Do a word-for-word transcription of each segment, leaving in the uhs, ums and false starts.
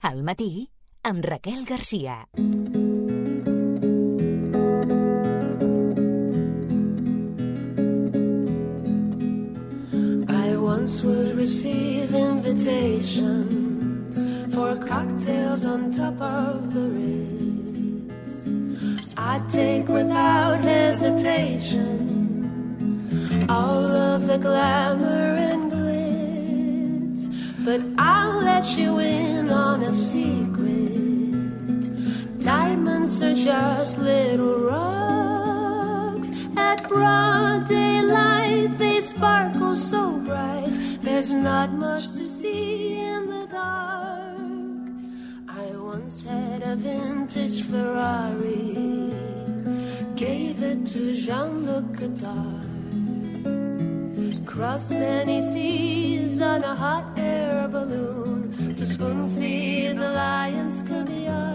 Al matí, amb Raquel Garcia. I once would receive invitations for cocktails on top of the Ritz. I'd take without hesitation all of the glamour and glitz, but I'll let you in on a secret. Diamonds are just little rocks. At broad daylight they sparkle so bright. There's not much to see in the dark. I once had a vintage Ferrari, gave it to Jean-Luc Godard. Crossed many seas on a hot air balloon to spoon-feed the lion's caviar.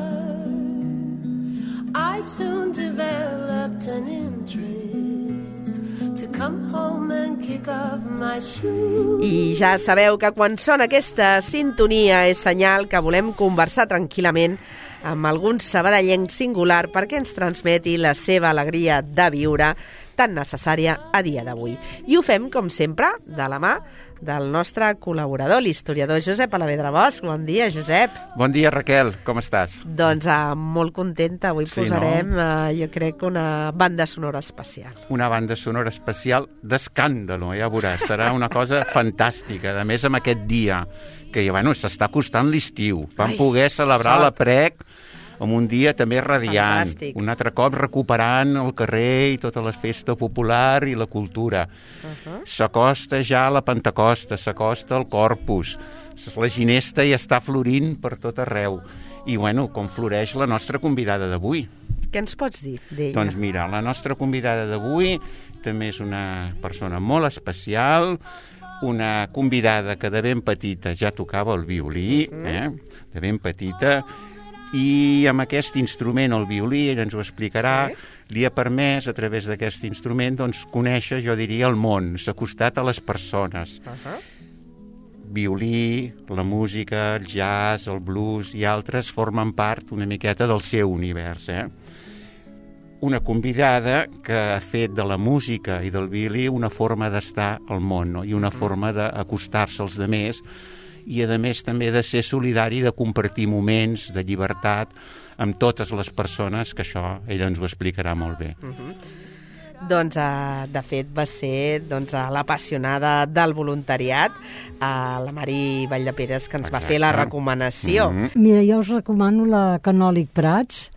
I soon developed an interest to come home and kick off my shoes. I ja sabeu que quan sona aquesta sintonia és senyal que volem conversar tranquil·lament amb algun sabadellenc singular perquè ens transmeti la seva alegria de viure tan necessària a dia d'avui. I ho fem, com sempre, de la mà del nostre col·laborador, l'historiador Josep Alavedra Bosch. Bon dia, Josep. Bon dia, Raquel. Com estàs? Doncs uh, molt contenta. Avui sí, posarem, no? uh, jo crec, una banda sonora especial. Una banda sonora especial d'escàndalo, ja veuràs. Serà una cosa fantàstica. A més, amb aquest dia, que bueno, s'està acostant l'estiu. Vam Ai, poder celebrar sort. La Prec amb un dia també radiant. Fantàstic. Un altre cop recuperant el carrer i tota la festa popular i la cultura. Uh-huh. S'acosta ja la Pentecosta, s'acosta el Corpus, la ginesta ja està florint per tot arreu. I, bueno, com floreix la nostra convidada d'avui. Què ens pots dir d'ella? Doncs mira, la nostra convidada d'avui també és una persona molt especial, una convidada que de ben petita ja tocava el violí, eh? de ben petita, i amb aquest instrument, el violí, ell ens ho explicarà, sí? Li ha permès, a través d'aquest instrument, doncs, conèixer, jo diria, el món, s'ha acostat a les persones. Uh-huh. Violí, la música, el jazz, el blues i altres formen part una miqueta del seu univers, eh? Una convidada que ha fet de la música i del violí una forma d'estar al món, no? I una forma d'acostar-se als demés, i a més també de ser solidari, de compartir moments de llibertat amb totes les persones, que això ella ens ho explicarà molt bé. Uh-huh. Doncs, uh, de fet, va ser doncs, uh, l'apassionada del voluntariat, uh, la Mari Valldeperes, que ens Exacte. Va fer la recomanació. Uh-huh. Mira, jo us recomano la Canòlic Prats,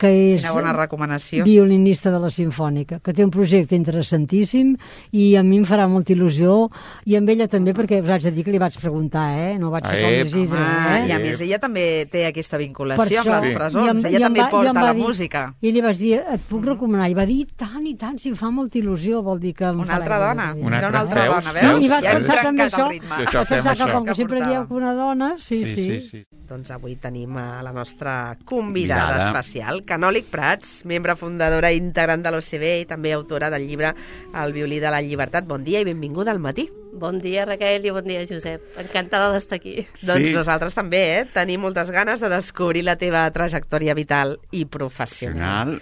que és una bona recomanació. Violinista de la Simfònica, que té un projecte interessantíssim i a mi em farà molta il·lusió, i amb ella també, perquè us haig de dir que li vaig preguntar, eh? No vaig ser com l'Isidre, eh? I a més, ella també té aquesta vinculació això, amb les presons, amb, ella també va, porta la dir, música. I li vaig dir, et puc recomanar? I va dir, tant i tant, si em fa molta il·lusió, vol dir que em una altra dona, una altra, altra veus, dona, veus? I vaig ja pensar també això, vaig pensar que com que sempre dieu que una dona, sí, sí. sí. sí, sí. Doncs avui tenim a la nostra convidada especial, Canòlic Prats, membre fundadora i integrant de l'O C B i també autora del llibre El violí de la llibertat. Bon dia i benvinguda al matí. Bon dia, Raquel, i bon dia, Josep. Encantada d'estar aquí. Doncs sí. Nosaltres també, eh? Tenim moltes ganes de descobrir la teva trajectòria vital i professional.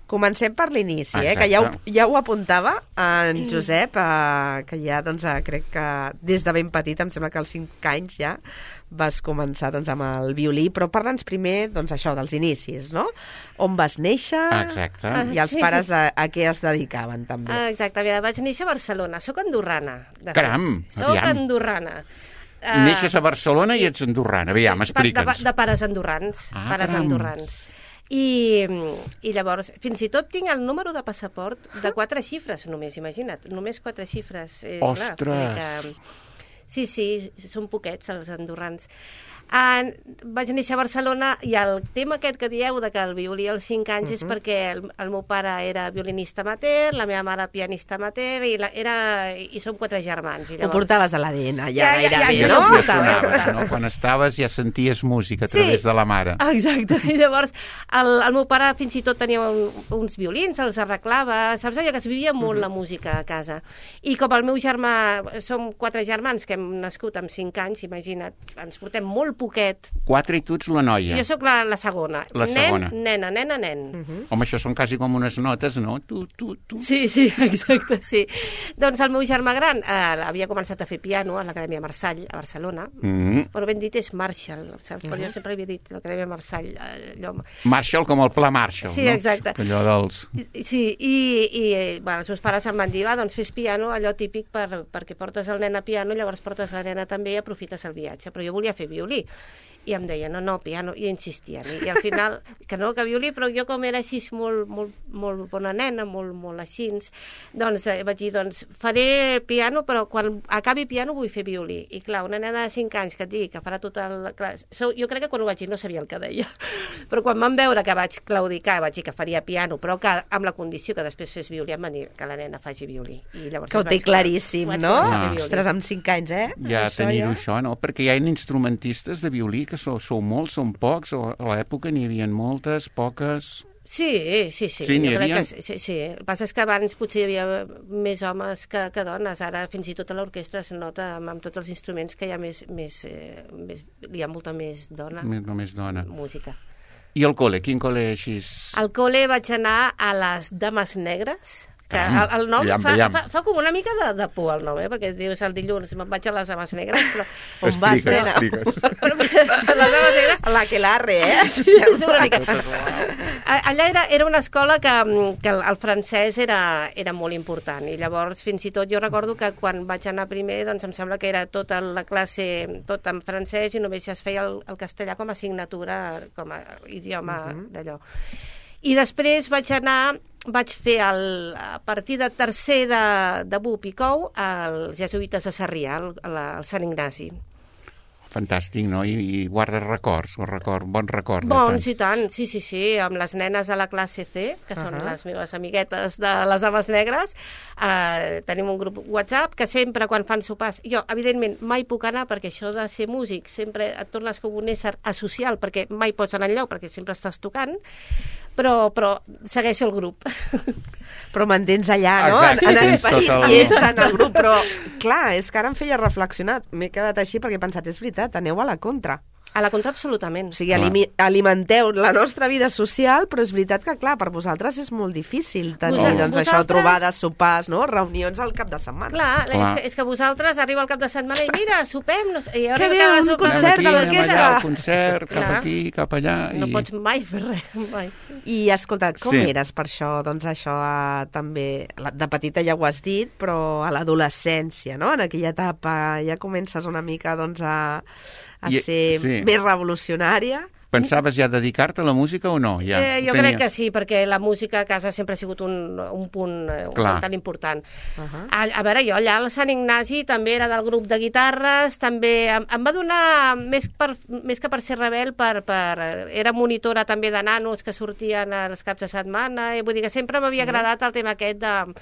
Comencem per l'inici, eh? Que ja ho, ja ho apuntava en Josep, eh, que ja, doncs, eh, crec que des de ben petit, em sembla que als cinc anys ja vas començar doncs, amb el violí, però parla'ns primer doncs, això dels inicis, no? On vas néixer? Exacte. I els sí. pares a, a què es dedicaven, també? Exacte, mira, vaig néixer a Barcelona, soc andorrana. Caram, Soc aviam. andorrana. Uh, Neixes a Barcelona i ets andorrana, aviam, explica'ns. De, de pares andorrans, ah, pares caram. andorrans. I, I llavors, fins i tot tinc el número de passaport de quatre xifres només, imagina't, només quatre xifres. Eh, Ostres! Clar, que, sí, sí, són poquets els andorrans. Uh, vaig néixer a Barcelona i el tema aquest que dieu de que el violí als cinc anys uh -huh. és perquè el, el meu pare era violinista amateur, la meva mare pianista amateur i, la, era, i som quatre germans. I llavors... Ho portaves a l'A D N, ja, ja gairebé, ja, ja, no? Ja sonaves, no? Quan estaves ja senties música a través sí, de la mare. Exacte, i llavors el, el meu pare fins i tot tenia un, uns violins, els arreglava, saps allò que es vivia molt uh -huh. la música a casa. I com el meu germà, som quatre germans que hem nascut amb cinc anys, imagina't, ens portem molt poquet. Quatre i tu ets la noia. Jo sóc la, la segona. La nen, segona. nena, nena, nen. Uh -huh. Home, això són quasi com unes notes, no? Tu, tu, tu. Sí, sí, exacte, sí. Doncs el meu germà gran eh, havia començat a fer piano a l'Acadèmia Marçall, a Barcelona. Mm -hmm. Però ben dit és Marshall, saps? Uh -huh. Jo sempre havia dit l'Acadèmia Marçall. Eh, allò... Marshall com el pla Marshall, sí, no? Exacte. Allò dels... Sí, i, i bueno, els meus pares em van dir, va, doncs fes piano, allò típic per, perquè portes el nen a piano, llavors portes la nena també i aprofites el viatge. Però jo volia fer violí. I em deia, no, no, piano, i insistien. I, i al final, que no, que violí, però jo com era així molt, molt, molt bona nena, molt, molt així, doncs eh, vaig dir, doncs faré piano, però quan acabi piano vull fer violí. I clar, una nena de cinc anys que et digui que farà tot el... Clar, so, jo crec que quan ho vaig dir no sabia el que deia. Però quan van veure que vaig claudicar, vaig dir que faria piano, però que amb la condició que després fes violí, em van dir que la nena faci violí. I llavors que ho té claríssim, no? Ah. Ostres, amb cinc anys, eh? Ja això, tenir-ho ja. això, no? Perquè hi ha instrumentistes de violí que sou, sou molts, són pocs, o a l'època n'hi havia moltes, poques... Sí, sí, sí. Sí, n'hi jo crec havia? que sí, sí. El que passa és que abans potser hi havia més homes que, que dones. Ara fins i tot a l'orquestra es nota amb, amb tots els instruments que hi ha més, més, eh, més hi ha molta més dona. Més, només dona. Música. I el col·le? Quin col·le així? Al col·le vaig anar a les Dames Negres, que Ah, el, el nom veiem, fa, veiem. fa, fa com una mica de, de por el nom, eh? Perquè dius el dilluns me'n vaig a les Dames Negres, però... On vas, Expliques, nena? expliques. però les Dames Negres... La que l'arre, eh? Sí, sí, una mica. Allà era, era una escola que, que el, el francès era, era molt important i llavors fins i tot jo recordo que quan vaig anar primer doncs em sembla que era tota la classe tot en francès i només es feia el, el castellà com a assignatura, com a idioma uh -huh. d'allò. I després vaig anar, vaig fer el, a partir de tercer de, de B U P i Cou als jesuïtes de Sarrià, al, al Sant Ignasi. Fantàstic, no? I, i guardes records, o record, bon record. de Bons tant. i tant, sí, sí, sí, amb les nenes a la classe C, que són Uh-huh. les meves amiguetes de les Dames Negres, eh, tenim un grup WhatsApp que sempre quan fan sopars, jo evidentment mai puc anar perquè això de ser músic sempre et tornes com un ésser asocial perquè mai pots anar enlloc perquè sempre estàs tocant, però, però segueixo el grup. Però mantens allà, no? Exacte, en, en tens esperit tot el- i ets en el grup. Però, clar, és que ara em feia reflexionar. M'he quedat així perquè he pensat, és veritat, aneu a la contra. A la contra, absolutament. O sigui, Clar. alimi- alimenteu la nostra vida social, però és veritat que, clar, per vosaltres és molt difícil tenir, Vosal- doncs, això, vosaltres- trobades, sopars, no? Reunions al cap de setmana. Clar, Clar. És, que, és que vosaltres arriba al cap de setmana i mira, sopem, no sé, i ara Que que bé, acaba la un sopa, concert Anem de aquí, anem l'orquestra. allà, al concert, cap Clar. aquí, cap allà... no i... pots mai fer res, mai. I, escolta, com Sí. eres per això? Doncs això eh, també, la- de petita ja ho has dit, però a l'adolescència, no? En aquella etapa ja comences una mica, doncs, a, a I- ser sí. més revolucionària. Pensaves ja dedicar-te a la música o no? Ja, eh, jo Tenia- crec que sí, perquè la música a casa sempre ha sigut un, un punt eh, un Clar. punt tan important. Uh -huh. a, a veure, jo allà al Sant Ignasi també era del grup de guitarres, també em, em va donar, més, per, més que per ser rebel, per, per, era monitora també de nanos que sortien als caps de setmana, i vull dir que sempre m'havia sí. agradat el tema aquest de...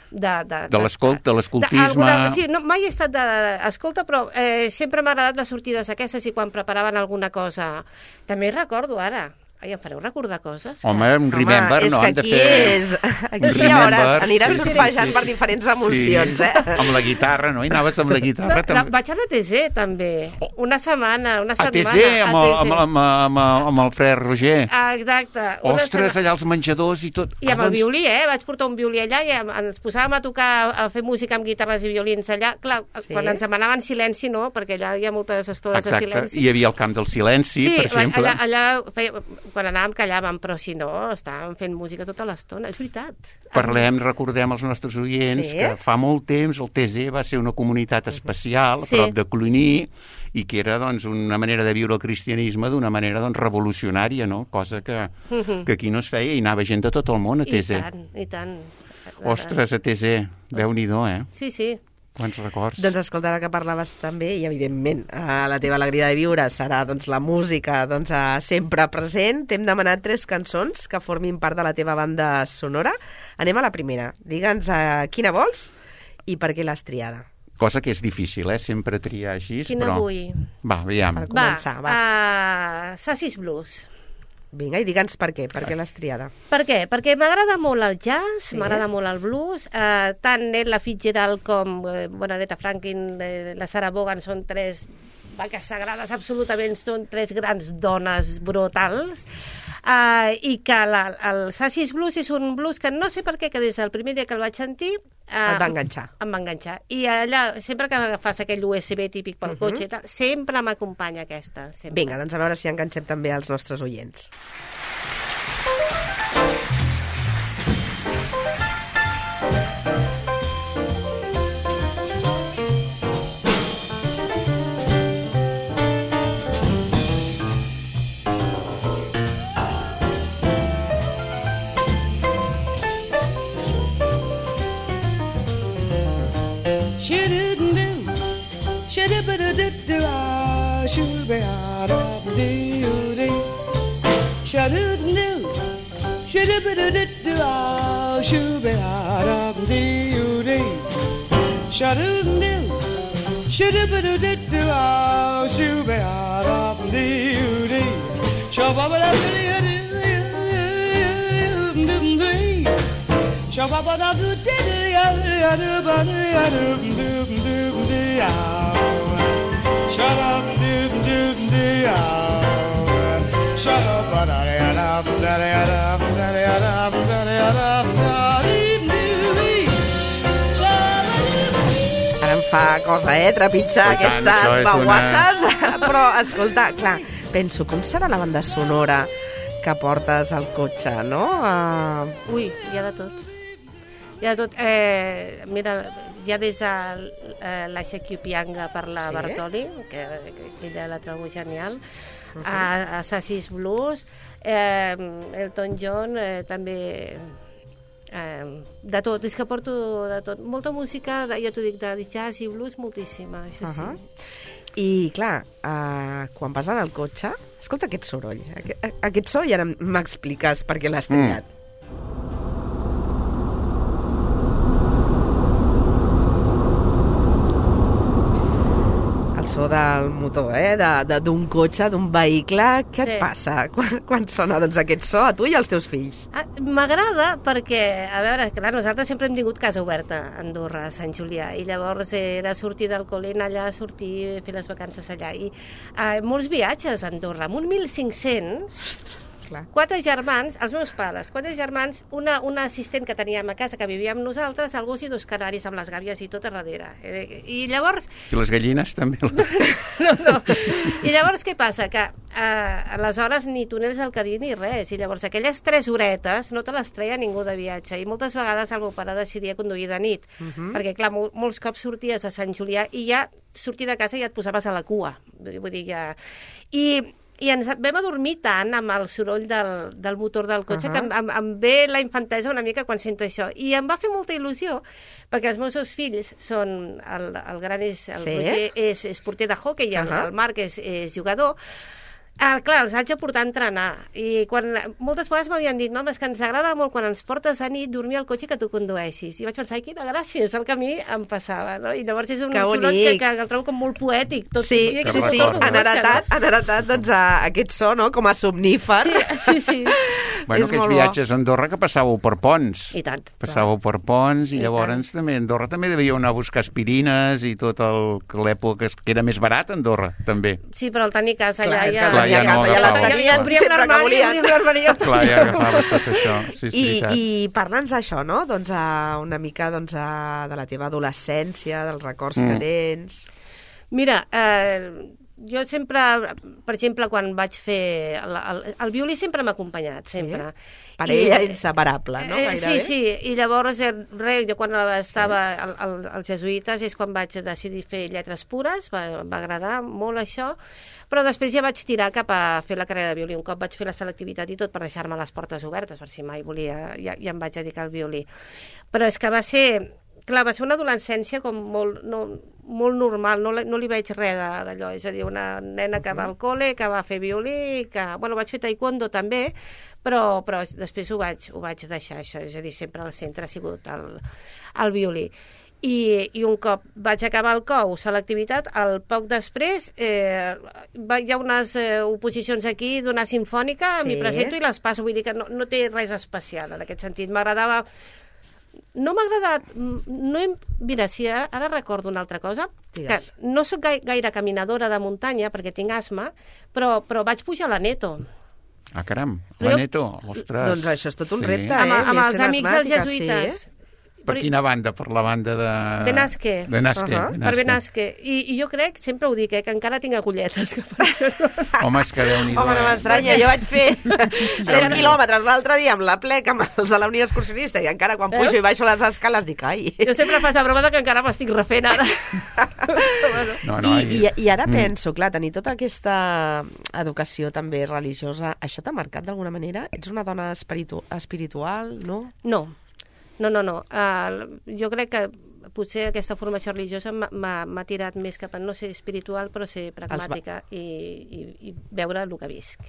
de, de, De l'escolt- de l'escoltisme. alguna- Sí, no, mai he estat d'escolta, però eh, sempre m'ha agradat les sortides aquestes i quan preparaven alguna cosa. També recordo ara, ai, em fareu recordar coses? que- Home, un remember, Home, és no? que Han de aquí fer... és... Aquí un hi hauràs, remember, aniràs sí, surfejant sí, per sí. diferents emocions, Sí. eh? Amb la guitarra, no? I anaves amb la guitarra. No, la, també. vaig anar a T Z, també. Una setmana, una A setmana. T Z, amb, el, a amb, T Z. amb, amb, amb el frère Roger. Ah, exacte. Una Ostres, setmana. allà els menjadors i tot. I amb Ah, el doncs- violí, eh? Vaig portar un violí allà i em- ens posàvem a tocar, a fer música amb guitarres i violins allà. Clar, Sí. quan ens demanaven silenci, no, perquè allà hi ha moltes estones de Exacte, silenci. hi havia el camp del silenci, Sí, per exemple. allà, allà feia, quan anàvem callàvem, però si no, estàvem fent música tota l'estona. És veritat. Parlem, recordem als nostres oients Sí. que fa molt temps el T Z va ser una comunitat especial a Sí. prop de Cluny i que era doncs, una manera de viure el cristianisme d'una manera doncs, revolucionària, no? Cosa que, que aquí no es feia i anava gent de tot el món a T I Z. tant, i tant. Ostres, a T Z, Déu-n'hi-do, eh? Sí, sí. Quants records. Doncs escolta, ara que parlaves també, i evidentment eh, la teva alegria de viure serà doncs, la música doncs, eh, sempre present. T'hem demanat tres cançons que formin part de la teva banda sonora. Anem a la primera. Digue'ns eh, quina vols i per què l'has triada. Cosa que és difícil, eh? Sempre triar així, Quina però... vull? Va, aviam. Per començar, va. Va, uh, Sassis Blues. Vinga, i digue'ns per què, per què l'has triada. Per què? Perquè m'agrada molt el jazz, Sí. m'agrada molt el blues, eh, tant Ella Fitzgerald com eh, bueno, Aretha Franklin, eh, la Sarah Vaughan són tres vaques sagrades absolutament, són tres grans dones brutals, uh, i que la, el Sassis Blues és un blues que no sé per què, que des del primer dia que el vaig sentir... Uh, Et va enganxar. Em va enganxar. I allà, sempre que fas aquell U S B típic pel uh -huh. cotxe i tal, sempre m'acompanya aquesta. Sempre. Vinga, doncs a veure si enganxem també als nostres oients. Ara em fa cosa, eh, trepitjar Oh, tant, aquestes això és baguasses. Una... Però, escolta, clar, penso, com serà la banda sonora que portes al cotxe, no? Uh... Ui, hi ha de tot. Hi ha de tot. Eh, mira, hi ha des de eh, la Shakiopianga per la Sí? Bartoli, que, que ella la trobo genial, uh -huh. a, a Sassis Blues, eh, Elton John, eh, també... Eh, de tot, és que porto de tot. Molta música, ja t'ho dic, de jazz i blues, moltíssima, això sí. Uh -huh. I, clar, uh, quan vas en el cotxe, escolta aquest soroll, aquest, aquest so, i ara m'expliques per què l'has triat. Mm. El so del motor, eh? D'un cotxe, d'un vehicle. Què sí. et passa quan, quan sona doncs, aquest so a tu i als teus fills? Ah, m'agrada perquè, a veure, clar, nosaltres sempre hem tingut casa oberta a Andorra, a Sant Julià, i llavors era sortir del col·le, anar allà, sortir, fer les vacances allà. I eh, molts viatges a Andorra, amb un mil cinc-cents... Clar. Quatre germans, els meus pares, quatre germans, una, una assistent que teníem a casa que vivia amb nosaltres, el gos i dos canaris amb les gàbies i tot a darrere. Eh, I llavors... I les gallines també? no, no. I llavors què passa? Que eh, aleshores ni túnels al Cadí ni res. I llavors aquelles tres horetes no te les treia ningú de viatge. I moltes vegades el meu pare decidia conduir de nit. Uh -huh. Perquè, clar, mol, molts cops sorties a Sant Julià i ja sortir de casa i ja et posaves a la cua. Vull dir, ja... I... I ens vam adormir tant amb el soroll del, del motor del cotxe uh -huh. que em, em ve la infantesa una mica quan sento això. I em va fer molta il·lusió, perquè els meus dos fills són... El, el gran és... El sí? Roger és, és porter de hoquei i el, uh -huh. el Marc és, és jugador. Ah, clar, els haig de portar a entrenar. I quan, moltes vegades m'havien dit, mama, és que ens agrada molt quan ens portes a nit dormir al cotxe que tu condueixis. I vaig pensar, ai, quina gràcia, és el que a mi em passava, no? I llavors és un soroll que, que el trobo com molt poètic. Tot sí, sí, sí. Han heretat, han heretat doncs, a aquest so, no?, com a somnífer. Sí, sí, sí. Bueno, aquests viatges a Andorra que passàveu per ponts. I tant. Passàveu per ponts i, I llavors tant. també a Andorra també devíeu anar a buscar aspirines i tot el, l'època que era més barat a Andorra, també. Sí, però al tenir casa clar, allà ja... Clar, ja no agafava. Ja, ja obríem l'armari, obríem l'armari. Clar, ja agafaves tot això. Sí, I, I parla'ns d'això, no? Doncs a una mica doncs, a, de la teva adolescència, dels records mm. que tens... Mira, eh... jo sempre, per exemple, quan vaig fer... El, el, el violí sempre m'ha acompanyat, sempre. Sí? Per I, ella inseparable, no? Eh, sí, sí, i llavors, re, jo quan estava sí. al, al, als jesuïtes és quan vaig decidir fer lletres pures, va, va agradar molt això, però després ja vaig tirar cap a fer la carrera de violí. Un cop vaig fer la selectivitat i tot per deixar-me les portes obertes, per si mai volia, ja, ja em vaig dedicar al violí. Però és que va ser... Clar, va ser una adolescència com molt, no, molt normal, no, no li veig res d'allò, és a dir, una nena que va al col·le, que va fer violí, que, bueno, vaig fer taekwondo també, però, però després ho vaig, ho vaig deixar, això, és a dir, sempre al centre ha sigut el, el violí. I, i un cop vaig acabar el C O U, selectivitat, al poc després eh, va, hi ha unes eh, oposicions aquí d'una sinfònica, sí. M'hi presento i les passo, vull dir que no, no té res especial en aquest sentit, m'agradava... no m'ha agradat... No he, mira, si ara, ara recordo una altra cosa, Digues. que no sóc gaire, gaire caminadora de muntanya perquè tinc asma, però, però vaig pujar a l'Aneto. Ah, caram, Però la Neto, ostres. Doncs això és tot un Sí. repte, Amb, eh? amb Més els sent amics dels asmàtica, jesuïtes. sí. Per quina banda? Per la banda de... Benasque. Benasque, Uh-huh. Per Benasque. Benasque. I, I jo crec, sempre ho dic, eh, que encara tinc agulletes. Que per això no... Home, és que Déu-n'hi-do. Home, no eh? m'estranya, jo vaig fer cent quilòmetres l'altre dia amb la plec amb els de la Unió Excursionista i encara quan pujo Veus? i baixo les escales dic, ai... Jo sempre faig la broma de que encara m'estic refent ara. Bueno. No, no, I, i, I ara Mm. penso, clar, tenir tota aquesta educació també religiosa, això t'ha marcat d'alguna manera? Ets una dona espiritu espiritual, no? No, no, no, no. Uh, jo crec que potser aquesta formació religiosa m'ha- m'ha m'ha tirat més cap a no ser espiritual, però ser pragmàtica i, i, i veure el que visc.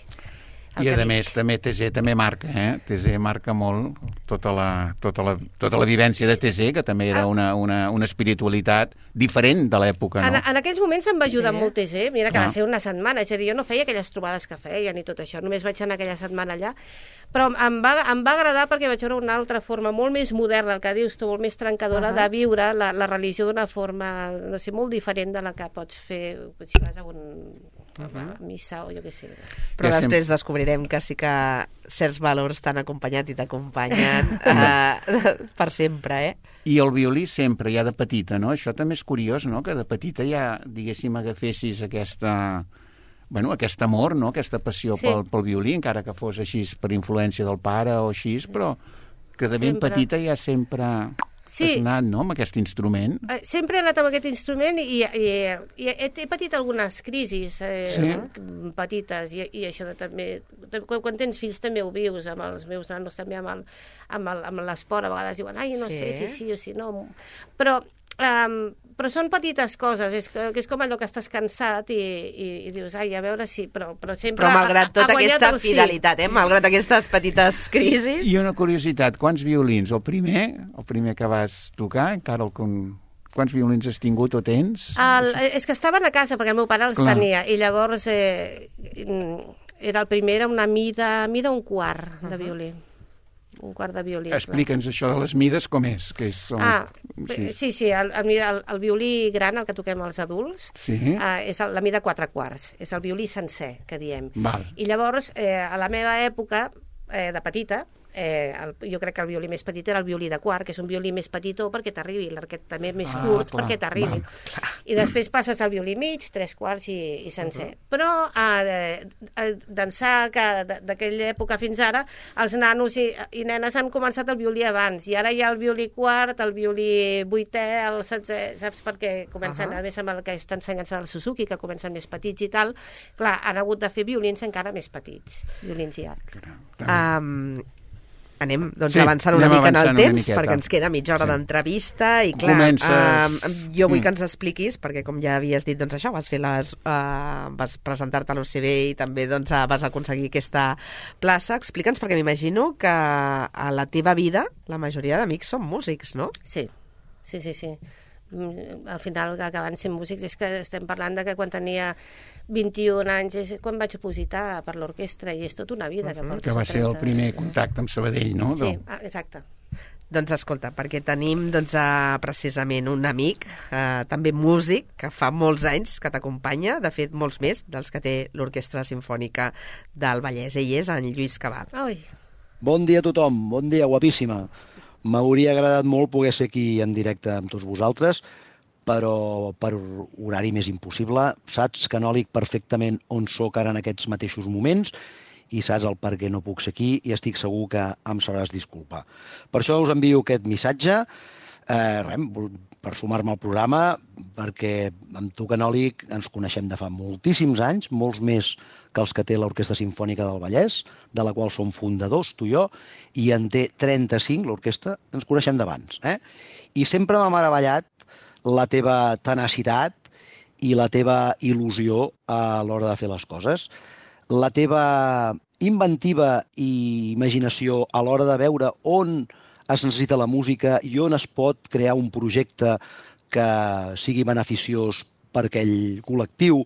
El I que a visc. més, també T Z també marca, eh? T Z marca molt tota la, tota la, tota la vivència de T Z, que també era una, una, una espiritualitat diferent de l'època, En, no? en aquells moments em va ajudar Sí. molt T Z, mira que Ah. va ser una setmana, és a dir, jo no feia aquelles trobades que feia ni tot això, només vaig anar aquella setmana allà, però em va, em va agradar perquè vaig veure una altra forma molt més moderna, el que dius tu, molt més trencadora, Uh-huh. de viure la, la religió d'una forma, no sé, molt diferent de la que pots fer si vas a un a missa o jo què sé. Però Ja després descobrirem que sí que certs valors t'han acompanyat i t'acompanyen eh, per sempre, eh? I el violí sempre, ja de petita, no? Això també és curiós, no?, que de petita ja, diguéssim, agafessis aquesta... Bueno, aquest amor, no?, aquesta passió Sí. pel, pel violí, encara que fos així per influència del pare o així, però que de ben Sempre. petita ja sempre Sí. has anat, no?, amb aquest instrument. Eh, Sempre he anat amb aquest instrument i, i, i he, he patit algunes crisis eh, Sí. petites i, i això de també... Quan, quan tens fills també ho vius, amb els meus nanos també amb el- amb el- amb l'esport, a vegades diuen, ai, no Sí. sé si sí o si no... Però, um, però són petites coses, és, que, que és com allò que estàs cansat i, i, i dius, ai, a veure si... Però, però sempre Però malgrat ha- ha tota guanyat aquesta el sí. fidelitat, eh? Malgrat aquestes petites crisis... I una curiositat, quants violins? El primer, el primer que vas tocar, encara el... Con... Quants violins has tingut o tens? El, és que estaven a casa perquè el meu pare els Clar. tenia i llavors eh, era el primer, era una mida, mida un quart de violí. Un quart de violí. clar. Explica'ns això de les mides, com és? Que és són... Ah, bé, sí, sí, el, el, el, el violí gran, el que toquem els adults, Sí. eh, és el, la mida quatre quarts, és el violí sencer, que diem. Val. I llavors, eh, a la meva època, eh, de petita, eh, el, jo crec que el violí més petit era el violí de quart, que és un violí més petitó perquè t'arribi, l'arquet també més Ah, curt clar, perquè t'arribi. val, I després passes al violí mig, tres quarts i, i sencer. Però eh, eh, d'ençà que d- d'aquella època fins ara, els nanos i, i nenes han començat el violí abans, i ara hi ha el violí quart, el violí vuitè, el setzè, saps? Perquè comencen, Ahà. a més amb el que està ensenyant-se del Suzuki, que comencen més petits i tal, clar, han hagut de fer violins encara més petits, violins llargs. Um, anem doncs, Sí, avançant una anem mica en el avançant una temps, miqueta. perquè ens queda mitja hora Sí. d'entrevista i clar, Comences- um, jo vull Mm. que ens expliquis, perquè com ja havies dit, doncs això, vas fer les, uh, vas presentar-te a l'U C B i també doncs, uh, vas aconseguir aquesta plaça. Explica'ns, perquè m'imagino que a la teva vida la majoria d'amics són músics, no? Sí, sí, sí, sí. Mm, Al final, acabant sent músics, és que estem parlant de que quan tenia vint-i-un anys és quan vaig opositar per l'orquestra i és tota una vida que porto. Que va ser el trenta. primer contacte amb Sabadell, no? Sí, Del- ah, exacte. Doncs escolta, perquè tenim doncs, uh, precisament un amic, uh, també músic, que fa molts anys que t'acompanya, de fet molts més dels que té l'Orquestra Simfònica del Vallès. Ell és en Lluís Cabal. Ai, Bon dia a tothom, bon dia, guapíssima. M'hauria agradat molt poder ser aquí en directe amb tots vosaltres, però per horari més impossible. Saps, Canòlic, perfectament on sóc ara en aquests mateixos moments i saps el per què no puc ser aquí i estic segur que em sabràs disculpar. Per això us envio aquest missatge, eh, res, per sumar-me al programa, perquè amb tu, Canòlic, ens coneixem de fa moltíssims anys, molts més que els que té l'Orquestra Simfònica del Vallès, de la qual som fundadors, tu i jo, i en té trenta-cinc, l'orquestra, ens coneixem d'abans. Eh? I sempre m'ha meravellat la teva tenacitat i la teva il·lusió a l'hora de fer les coses. La teva inventiva i imaginació a l'hora de veure on es necessita la música i on es pot crear un projecte que sigui beneficiós per aquell col·lectiu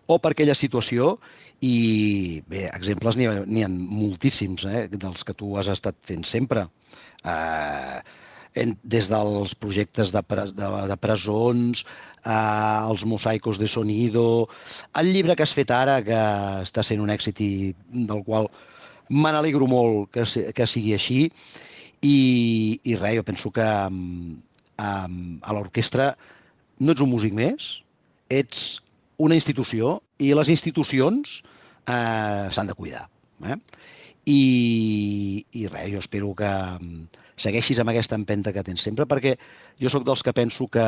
o per aquella situació. I bé, exemples n'hi ha, n'hi ha moltíssims, eh, dels que tu has estat fent sempre. Eh, des dels projectes de, pre, de, de presons, eh, els mosaicos de sonido, el llibre que has fet ara, que està sent un èxit i del qual me n'alegro molt que, que sigui així, i, i res, jo penso que um, a l'orquestra no ets un músic més, ets una institució, i les institucions eh, s'han de cuidar. Eh? I, I res, jo espero que segueixis amb aquesta empenta que tens sempre, perquè jo sóc dels que penso que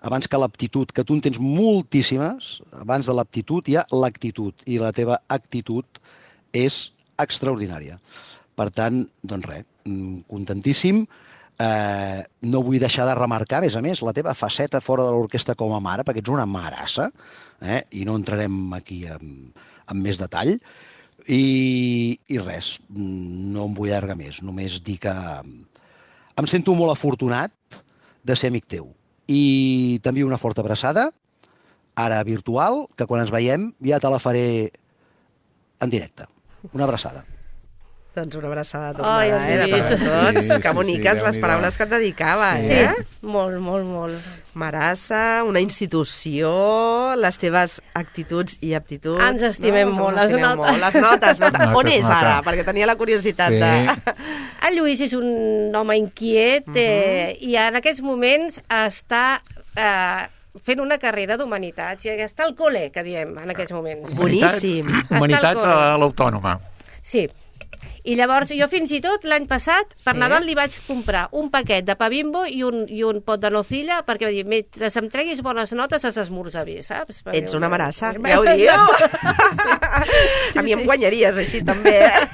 abans que l'aptitud, que tu en tens moltíssimes, abans de l'aptitud hi ha l'actitud, i la teva actitud és extraordinària. Per tant, doncs res, contentíssim. Eh, no vull deixar de remarcar, a més a més, la teva faceta fora de l'orquestra com a mare, perquè ets una marassa, eh, i no entrarem aquí amb, amb més detall. I, I res, no em vull allargar més, només dir que em sento molt afortunat de ser amic teu. I t'envio una forta abraçada, ara virtual, que quan ens veiem ja te la faré en directe. Una abraçada. Doncs una abraçada tornada, oh, eh, de part de tots. Sí, que boniques sí, sí, les paraules que et dedicaves, sí. eh? Sí, molt, molt, molt. Marassa, una institució, les teves actituds i aptituds... Ens estimem no? molt, les notes. Molt. Les notes, notes. On és nota. Ara? Perquè tenia la curiositat sí. de... El Lluís és un home inquiet uh -huh. eh, i en aquests moments està... Eh, fent una carrera d'humanitats, i està al col·le, que diem, en aquests moments. Boníssim. Humanitats a l'Autònoma. Sí. I llavors jo fins i tot l'any passat per sí. Nadal li vaig comprar un paquet de pa Bimbo i un, i un pot de nocilla perquè va dir, mentre em treguis bones notes has d'esmorzar bé, saps? Perquè ets una marassa, ja ho diu. Sí, a mi em guanyaries així també, eh?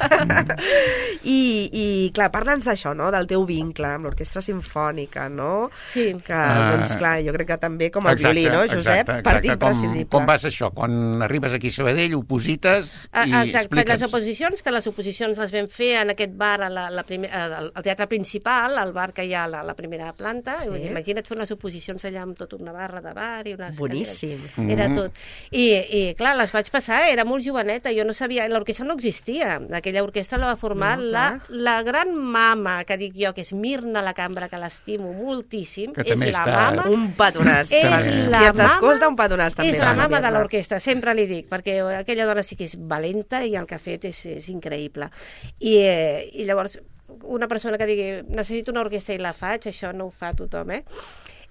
I, i clar, parla'ns d'això, no? Del teu vincle amb l'orquestra simfònica, no? Sí. Que, doncs clar, jo crec que també com el exacte, violí, no, Josep? Exacte, Part exacte. imprescindible. Com, com vas això? Quan arribes aquí a Sabadell, oposites i exacte, expliques. Les oposicions, que les oposicions les vam fer en aquest bar, a la, la primer, al teatre principal, al bar que hi ha a la, la primera planta. Sí. Imagina't fer unes oposicions allà amb tota una barra de bar i unes... Boníssim. Mm-hmm. Era tot. I, I, clar, les vaig passar, era molt joveneta, jo no sabia... L'orquestra no existia. Aquella orquestra la va formar no, la, la gran mama, que dic jo, que és Mirna La Cambra, que l'estimo moltíssim. Que és la està... mama... Un petonàs. És la si ens escolta, un petonàs també. És la mama de l'orquestra, sempre li dic, perquè aquella dona sí que és valenta i el que ha fet és, és increïble. I, eh, i llavors una persona que digui necessito una orquestra i la faig, això no ho fa tothom, eh?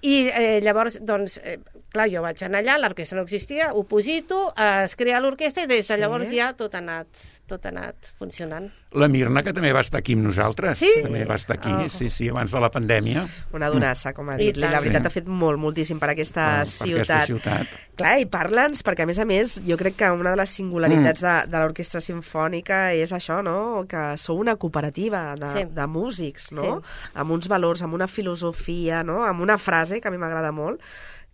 I eh, llavors, doncs, eh, clar, jo vaig anar allà, l'orquestra no existia, ho posito, eh, es crea l'orquestra i des de llavors sí. ja tot ha anat, tot ha anat funcionant. La Mirna, que també va estar aquí amb nosaltres. Sí? També va estar aquí, oh. sí, sí, abans de la pandèmia. Una donassa, com ha dit. La veritat sí. ha fet molt, moltíssim per aquesta, oh, per ciutat. aquesta ciutat. Clar, i parla'ns, perquè a més a més jo crec que una de les singularitats mm. de, de l'orquestra simfònica és això, no? Que sou una cooperativa de, sí. de músics, no? Sí. Amb uns valors, amb una filosofia, no? Amb una frase que a mi m'agrada molt,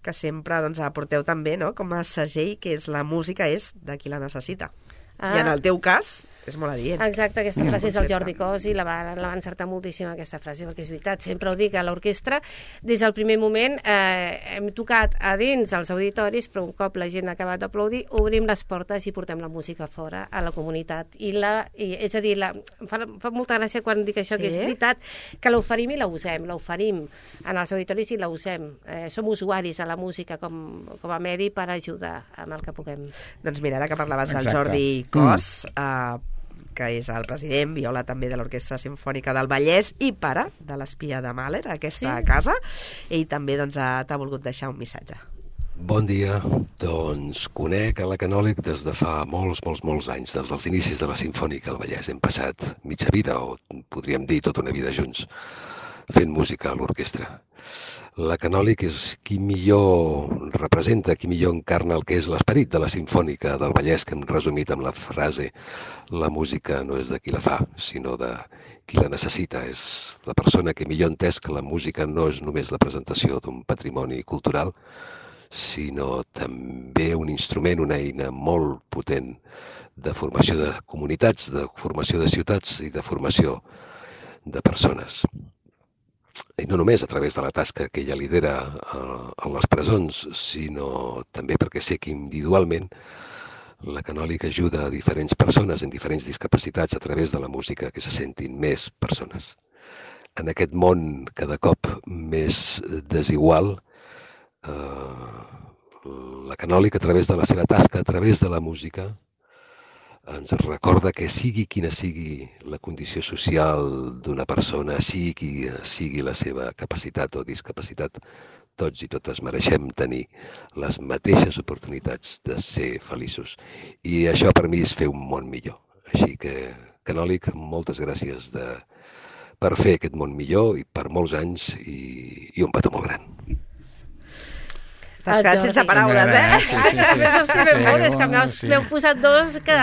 que sempre doncs, aporteu també, no? Com a segell, que és la música és de qui la necessita. Ah. I en el teu cas és molt adient. Exacte, aquesta frase és el Jordi Cos i la va, la va encertar moltíssim aquesta frase, perquè és veritat, sempre ho dic, a l'orquestra des del primer moment eh, hem tocat a dins els auditoris, però un cop la gent ha acabat d'aplaudir, obrim les portes i portem la música fora a la comunitat. I la, i, és a dir, la, em fa, fa molta gràcia quan dic això, sí? Que és veritat, que l'oferim i la usem, l'oferim en els auditoris i la usem. Eh, som usuaris a la música com, com a medi per ajudar amb el que puguem. Doncs mira, ara que parlaves Exacte. del Jordi Cos, mm. eh, que és el president, viola també de l'Orquestra Simfònica del Vallès i pare de l'Espia de Mahler, aquesta sí. casa. Ell també doncs, t'ha volgut deixar un missatge. Bon dia. Doncs conec a la Canòlic des de fa molts, molts, molts anys, des dels inicis de la Simfònica al Vallès. Hem passat mitja vida, o podríem dir tota una vida junts, fent música a l'orquestra. La Canòlic és qui millor representa, qui millor encarna el que és l'esperit de la Simfònica del Vallès, que hem resumit amb la frase la música no és de qui la fa, sinó de qui la necessita. És la persona que millor ha entès que la música no és només la presentació d'un patrimoni cultural, sinó també un instrument, una eina molt potent de formació de comunitats, de formació de ciutats i de formació de persones. I no només a través de la tasca que ella lidera a les presons, sinó també perquè sé que individualment la Canòlic ajuda a diferents persones en diferents discapacitats a través de la música que se sentin més persones. en aquest món cada cop més desigual, eh, la Canòlic, a través de la seva tasca, a través de la música, ens recorda que sigui quina sigui la condició social d'una persona, sigui quina sigui la seva capacitat o discapacitat, tots i totes mereixem tenir les mateixes oportunitats de ser feliços. I això per mi és fer un món millor. Així que, Canòlic, moltes gràcies de, per fer aquest món millor i per molts anys i, i un petó molt gran. T'has quedat sense paraules, eh? Sí, sí, sí. A més, estimem molt, és que m'heu posat dos que...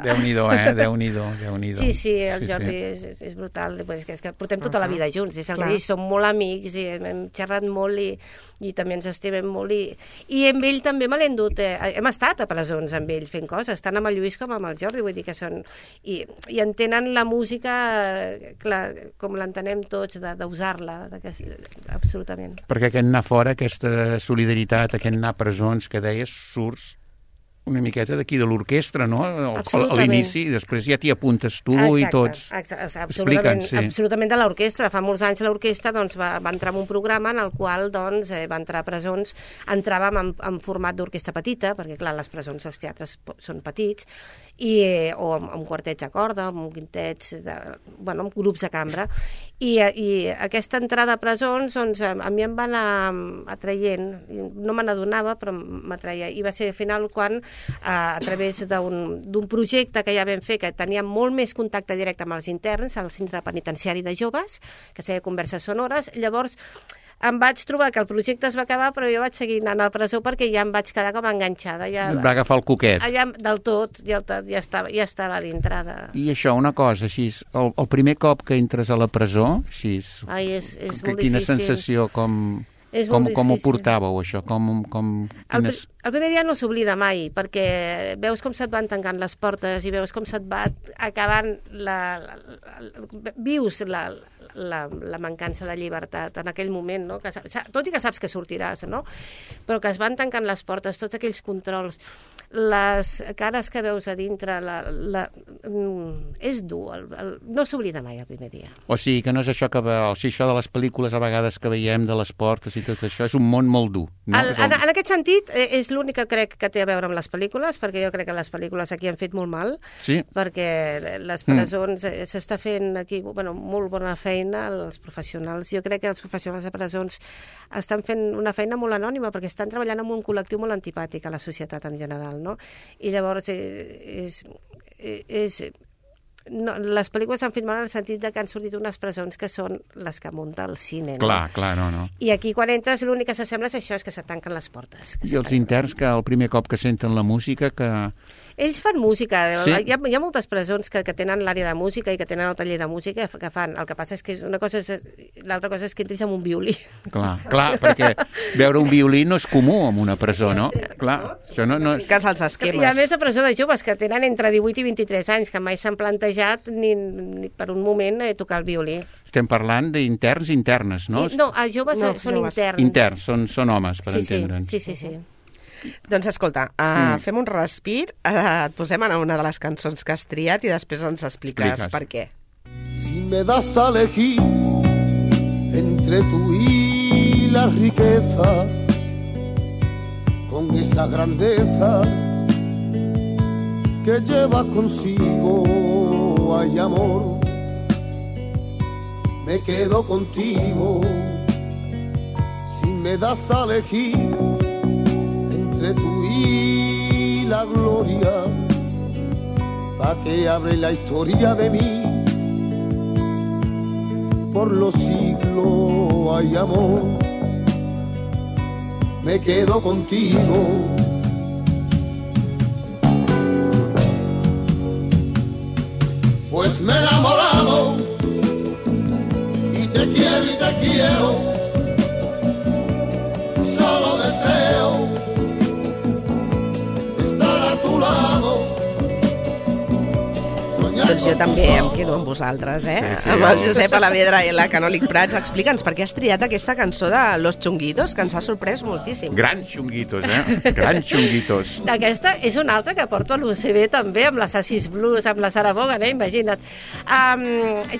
Déu-n'hi-do, eh? Déu-n'hi-do, Déu-n'hi-do. Sí, sí, el Jordi sí, sí. És, és brutal. És que, és que portem tota la vida junts, és el que dic, som molt amics i hem xerrat molt i, i també ens estimem molt. I, i amb ell també me l'he endut. Eh, hem estat a presons amb ell fent coses, tant amb el Lluís com amb el Jordi, vull dir que són... I, i entenen la música, clar, com l'entenem tots, d'usar-la, absolutament. Perquè aquest anar fora, aquesta solidaritat, aquest anar a presons que deies, surts una miqueta d'aquí de l'orquestra, no? A l'inici, després ja t'hi apuntes tu exacte, i tots. Exacte, absolutament, sí. absolutament de l'orquestra. Fa molts anys l'orquestra doncs, va, va entrar en un programa en el qual doncs, eh, va entrar a presons, entràvem en, en format d'orquestra petita, perquè clar, les presons, els teatres són petits, i, eh, o amb, amb quartets a corda, amb quintets, de, bueno, amb grups de cambra, i, i aquesta entrada a presons doncs, a, a mi em va anar atraient, no me n'adonava, però m'atreia, i va ser al final quan a través d'un projecte que ja vam fer, que tenia molt més contacte directe amb els interns, al centre penitenciari de joves, que es deia Converses Sonores. Llavors em vaig trobar que el projecte es va acabar, però jo vaig seguir anant a la presó perquè ja em vaig quedar com enganxada. Ja, va agafar el coquet. Ja, del tot, ja, ja, estava, ja estava dintre de... I això, una cosa, així, el, el primer cop que entres a la presó, així, Ai, és, és que, molt quina difícil. sensació, com... Com, com ho portàveu, això? Com, com, quines... el, el primer dia no s'oblida mai, perquè veus com se't van tancant les portes i veus com se't va acabant la... la, la vius la, la, la mancança de llibertat en aquell moment, no? Que, tot i que saps que sortiràs, no? Però que es van tancant les portes, tots aquells controls, les cares que veus a dintre, la, la, és dur, el, el, no s'oblida mai el primer dia. O sigui, que no és això que o sigui, això de les pel·lícules a vegades que veiem de les portes i tot això, és un món molt dur. No? El, en, en aquest sentit, és l'únic que crec que té a veure amb les pel·lícules, perquè jo crec que les pel·lícules aquí han fet molt mal, sí. perquè les presons mm. s'està fent aquí bueno, molt bona feina, els professionals. Jo crec que els professionals de presons estan fent una feina molt anònima, perquè estan treballant amb un col·lectiu molt antipàtic a la societat en general, no? I llavors és... és, és no, les pel·lícules han fet mal en el sentit de que han sortit unes presons que són les que munta el cine. No? Clar, clar, no, no. I aquí quan entres l'únic que s'assembla és això, és que se tanquen les portes. I els interns que el primer cop que senten la música que... Ells fan música. Sí? Hi, ha, hi ha moltes presons que, que tenen l'àrea de música i que tenen el taller de música que fan. El que passa és que és una cosa és, l'altra cosa és que entris amb un violí. Clar, clar, perquè veure un violí no és comú en una presó, no? Clar, això no... no és... Fiques als esquemes. I a més a presó de joves que tenen entre divuit i vint-i-tres anys, que mai s'han plantejat ni, ni per un moment eh, tocar el violí. Estem parlant d'interns i internes, no? I, no, els joves no, són joves. interns. Interns, són, són homes, per sí, entendre'ns. Sí, sí, sí. sí. Doncs escolta, uh, mm. fem un respir, uh, et posem a una de les cançons que has triat i després ens expliques, expliques. per què. Si me das a elegir entre tú y la riqueza, con esa grandeza que lleva consigo, hay amor, me quedo contigo. Si me das a elegir entre tú y la gloria, pa' que abre la historia de mí, por los siglos hay amor, me quedo contigo. Pues me he enamorado y te quiero y te quiero, solo deseo estar a tu lado, Doncs jo també em quedo amb vosaltres, eh? Sí, sí, amb el el- Josep Alavedra i la Canòlic Prats. Explica'ns per què has triat aquesta cançó de Los Chunguitos, que ens ha sorprès moltíssim. Grans xunguitos, eh? Grans xunguitos. Aquesta és una altra que porto a l'U C B també, amb les Assis Blues, amb la Sara Vaughan, eh? Imagina't. Um,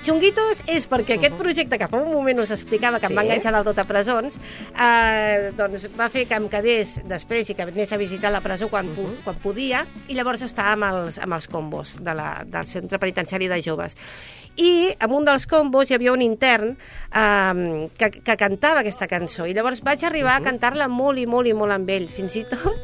Chunguitos és perquè aquest projecte que fa un moment us explicava, que Sí. em va enganxar del tot a presons, uh, doncs va fer que em quedés després i que anés a visitar la presó quan, pu quan podia, i llavors estava amb els, amb els combos de la, del centre penitenciari de joves. I en un dels combos hi havia un intern um, que, que cantava aquesta cançó, i llavors vaig arribar a cantar-la molt i molt i molt amb ell. Fins i tot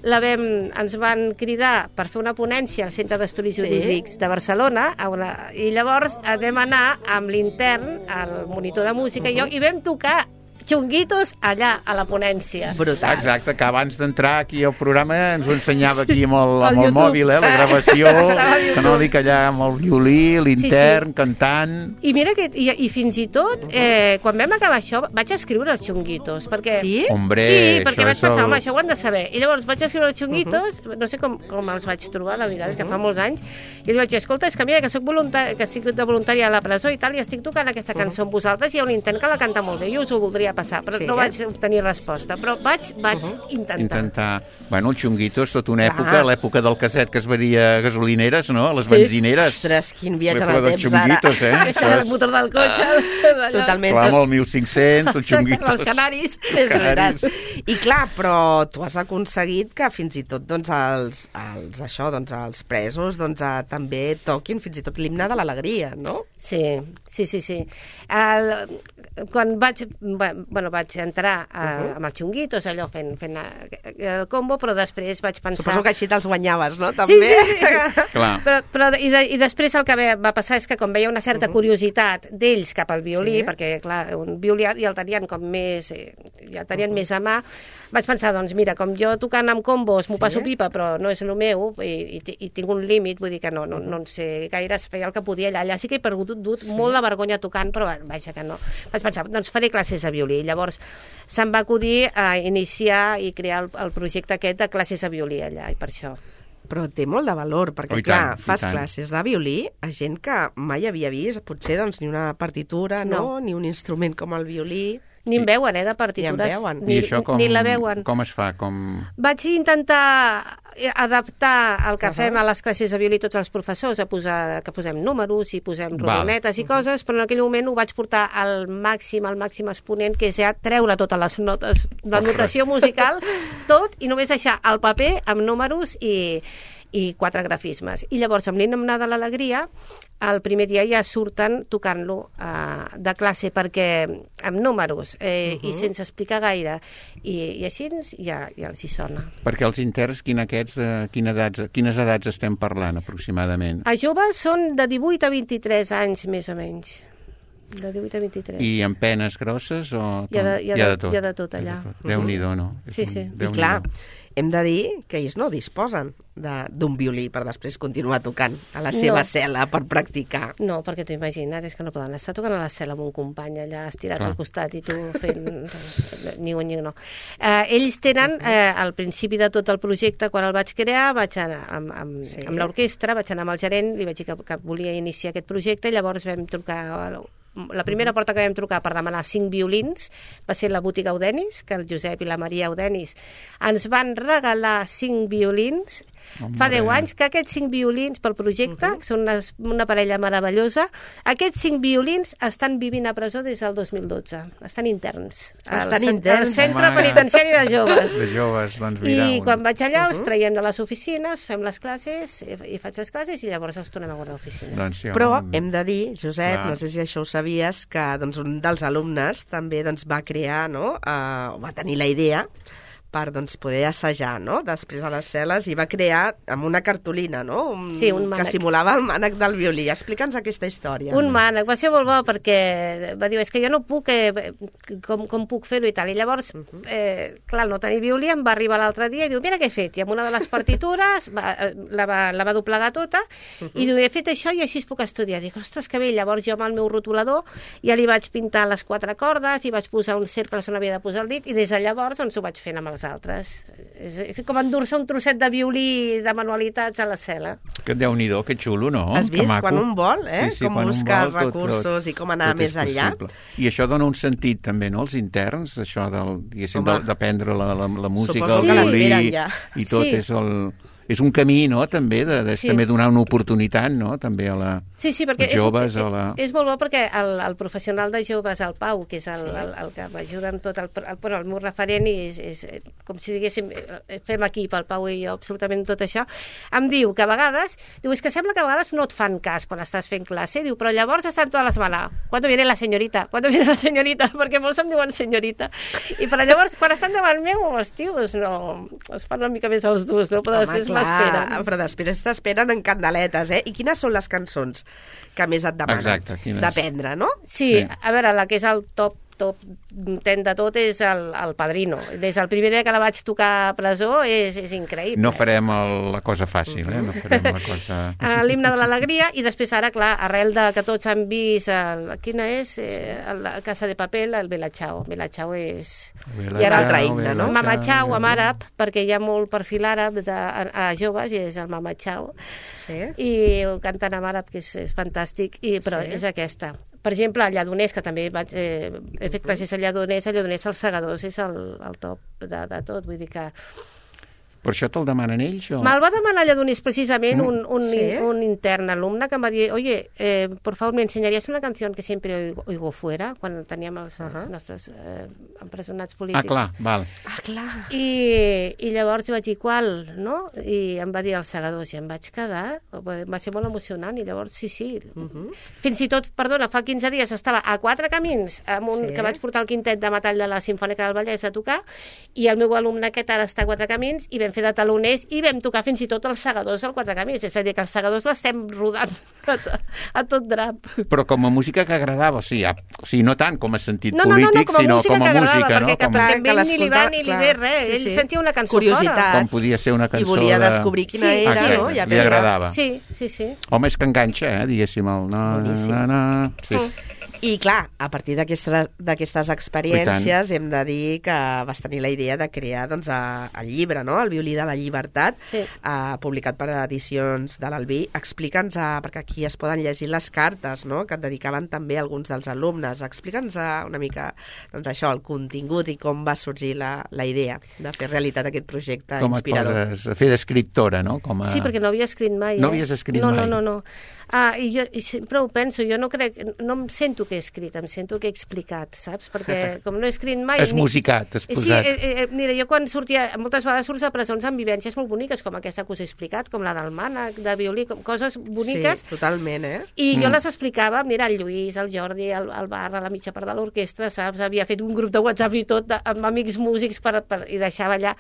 la vam, ens van cridar per fer una ponència al Centre d'Estudis Sí. Jurídics de Barcelona, a una, i llavors vam anar amb l'intern, el monitor de música i jo, i vam tocar Chunguitos allà, a la ponència. Brutal. Exacte, que abans d'entrar aquí al programa ens ho ensenyava aquí amb el, Al amb el YouTube. mòbil, eh, la gravació, Estava al YouTube. Canòlic allà amb el violí, l'intern, Sí, sí. cantant... I mira que, i, i fins i tot, eh, quan vam acabar això, vaig escriure els Chunguitos, perquè... Sí? Hombre, sí, perquè això vaig és pensar, el- home, això ho han de saber. I llavors vaig escriure els Chunguitos, no sé com, com els vaig trobar, la veritat, és que fa molts anys, i li vaig dir, escolta, és que mira, que soc voluntari, que estic de voluntària a la presó i tal, i estic tocant aquesta cançó amb vosaltres, i hi ha un intent que la canta molt bé, jo us ho voldria passar, però Sí, no eh? vaig obtenir resposta, però vaig, vaig intentar. Intentar... Bueno, el Chunguitos, tota una Clar. època, l'època del casset que es veria a gasolineres, no? A les Sí. benzineres. Ostres, quin viatge en L'època el dels temps, ara. Chunguitos, eh? Això era el motor del cotxe, d'allò. Totalment. Clar, amb el mil cinc-cents, el Chunguitos. Els canaris. És veritat. Canaris. I clar, però tu has aconseguit que fins i tot doncs, els, els, això, doncs, els presos doncs, eh, també toquin fins i tot l'himne de l'alegria, no? Sí, sí, sí, sí. El, quan vaig, bueno, vaig entrar a, uh -huh. amb els Chunguitos, allò fent, fent el combo, però després vaig pensar... Suposo que així te'ls guanyaves, no? Sí, També. sí, sí. Clar. Però, però, i, de, I després el que va passar és que com veia una certa curiositat d'ells cap al violí, Sí. perquè clar, un violí ja el tenien com més, eh, ja el tenien més a mà, vaig pensar, doncs mira, com jo tocant amb combos m'ho Sí. passo pipa, però no és el meu, i, i, i tinc un límit, vull dir que no, no, no en sé gaire, feia el que podia allà. Allà sí que he perdut dut sí. molt la vergonya tocant, però vaja que no. Vaig pensar, doncs faré classes de violí. I llavors se'm va acudir a iniciar i crear el, el projecte aquest de classes de violí allà, i per això. Però té molt de valor, perquè, Oh, i clar, tant, i fas tant. classes de violí a gent que mai havia vist, potser, doncs, ni una partitura, no? No. Ni un instrument com el violí. Ni en veuen, eh, de Ni en partitures. veuen. Ni, I això com, ni la veuen. com es fa? Com... Vaig intentar adaptar el que Uh-huh. fem a les classes de violí tots els professors, a posar, que posem números i posem Val. rodonetes i coses, però en aquell moment ho vaig portar al màxim, al màxim exponent, que és ja treure totes les notes, la Ostres. notació musical, tot, i només deixar el paper amb números i, i quatre grafismes. I llavors, amb l'himne de l'alegria, el primer dia ja surten tocant-lo uh, de classe, perquè amb números eh, uh -huh. i sense explicar gaire, i, i així ja, ja els hi sona. Perquè els interns, quin aquests, eh, quina edats, quines edats estem parlant aproximadament? A joves són de divuit a vint-i-tres anys, més o menys. De divuit a vint-i-tres. I amb penes grosses o... Hi ha de- hi ha Hi ha de- de tot. hi ha de tot allà. Déu-n'hi-do, no? Sí, sí. I clar, hem de dir que ells no disposen de- d'un violí per després continuar tocant a la seva No. cel·la per practicar. No, perquè t'ho imagina't, és que no poden estar tocant a la cel·la amb un company allà estirat Clar. al costat i tu fent... ni un ni no. Eh, ells tenen, eh, al principi de tot el projecte, quan el vaig crear, vaig anar amb, amb, Sí. amb l'orquestra, vaig anar amb el gerent, li vaig dir que, que volia iniciar aquest projecte, i llavors vam trucar... La primera porta que vam trucar per demanar cinc violins va ser la botiga Audenis, que el Josep i la Maria Audenis ens van regalar cinc violins. Hombre. Fa deu anys que aquests cinc violins pel projecte, uh -huh. que són una, una parella meravellosa, aquests cinc violins estan vivint a presó des del dos mil dotze. Estan interns. Estan al, cen- interns. Al centre Home. penitenciari de joves. De joves, doncs mira... I un- quan vaig allà els traiem de les oficines, fem les classes, i, i faig les classes, i llavors els tornem a guardar a oficines. Doncs sí, Però home, hem de dir, Josep, Clar. no sé si això ho sabies, que doncs, un dels alumnes també doncs, va crear, no? uh, va tenir la idea per doncs, poder assajar, no? Després a les cel·les, i va crear amb una cartolina, no? Un, Sí, un que mànec. simulava el mànec del violí. Explica'ns aquesta història. Un mànec, va ser molt bo perquè va dir, és que jo no puc, eh, com, com puc fer-ho i tal. I llavors, eh, clar, no tenir violí, em va arribar l'altre dia i diu, mira què he fet. I amb una de les partitures va, la, va, la va doblegar tota i diu, he fet això i així es puc estudiar. Dic, ostres, que bé. Llavors jo amb el meu rotulador ja li vaig pintar les quatre cordes i vaig posar un cercle on havia de posar el dit, i des de llavors doncs, ho vaig fent amb els els altres. És, és com endur-se un trosset de violí de manualitats a la cel·la. Que Déu-n'hi-do, que xulo, no? Has vist? Quan un vol, eh? Sí, sí, com buscar vol, recursos tot, tot, i com anar més enllà. I això dona un sentit també, no?, als interns, això del, diguéssim, d'aprendre la, la, la música, el violí, ja. I tot sí. és el... És un camí, no?, també, de, de sí. també donar una oportunitat, no?, també a la, sí, sí, perquè als joves. És, a la... és molt bo perquè el, el professional de joves, el Pau, que és el, sí. el, el que m'ajuda amb tot, el, el, el, el meu referent, i és, és com si diguéssim, fem equip, el Pau i jo, absolutament tot això, em diu que a vegades, diu, és que sembla que a vegades no et fan cas quan estàs fent classe, diu, però llavors estan totes les malas, quan viene la senyorita, quan viene la senyorita, perquè molts em diuen senyorita, i però llavors, quan estan davant meu, els tios, no, es fan una mica més els durs, no? Però després m'esperen. Però després t'esperen en candeletes, eh? I quines són les cançons que més et demanen d'aprendre, no? Sí, sí, a veure, la que és el top top ten de tot és el, el Padrino. Des del primer dia que la vaig tocar a presó és, és increïble. No farem el, la cosa fàcil, eh? No farem la cosa... L'himne de l'alegria, i després ara, clar, arrel de que tots han vist el, quina és? Eh, la Casa de Papel, el Bella Ciao. Bella Ciao és... I ara l'altre himne, no? Mama Ciao, en àrab, perquè hi ha molt perfil àrab de, a, a joves, i és el Mama Ciao. Sí. I ho canten en àrab, que és, és fantàstic, i, però sí. és aquesta. Per exemple, el Lledoners, que també vaig, eh, he fet classes al Lledoners, el Lledoners als Segadors és el, el top de, de tot, vull dir que... Per això te'l demanen ells? O... Me'l va demanar Lledoners precisament Mm. un, un, Sí? un intern alumne que em va dir, oye, eh, por favor, ¿me enseñarías una canción que siempre oigo, oigo fuera? Quan teníem els, uh -huh. els nostres eh, empresonats polítics. Ah, clar, val. Ah, clar. I, i llavors vaig dir, qual, no? I em va dir els Segadors, i em vaig quedar, va ser molt emocionant, i llavors, sí, sí. Uh -huh. Fins i tot, perdona, fa quinze dies estava a Quatre Camins, amb un, Sí. que vaig portar el quintet de metall de la Simfònica del Vallès a tocar, i el meu alumne aquest ara està a Quatre Camins, i vam fer de taloners, i vam tocar fins i tot els Segadors al Quatre Camins, és a dir, que els Segadors l'estem rodant a, a tot drap. Però com a música que agradava, o sigui, a, o sigui no tant com a sentit No, no, no, polític, no, com a sinó música com a que agradava, música, no? perquè, Com... perquè que a ell ni li va ni li ve res, sí, ell sí. sentia una cançó Curiositat. fora. Com podia ser una cançó I volia de... descobrir quina Sí, era, sí. no? Ah, Ja li agradava. Sí, sí, sí. Home, és que enganxa, eh, diguéssim, el... Na, Boníssim. na, na, sí. Mm. I clar, a partir d'aquestes d'aquestes experiències hem de dir que vas tenir la idea de crear doncs, a, el llibre, no? El violí de la llibertat, Sí. eh, publicat per edicions de l'Albí. Explica'ns, eh, perquè aquí es poden llegir les cartes, no?, que et dedicaven també alguns dels alumnes. Explica'ns eh, una mica doncs, això, el contingut i com va sorgir la, la idea de fer realitat aquest projecte Com a inspirador. coses, a fer d'escriptora, no? Com a... Sí, perquè no havia escrit mai. No eh? havies escrit no, mai? No, no, no. Ah, i jo i sempre ho penso, jo no crec, no em sento que he escrit, em sento que he explicat, saps? Perquè com no he escrit mai... Has musicat, has Sí, posat... eh, eh, mira, jo quan sortia, moltes vegades surts a presons amb vivències molt boniques, com aquesta que us he explicat, com la del mànec, de violí, com coses boniques. Sí, totalment, eh? I jo Mm. les explicava, mira, el Lluís, el Jordi, el, el Barra, la mitja part de l'orquestra, saps? Havia fet un grup de WhatsApp i tot, de, amb amics músics per, per, i deixava allà.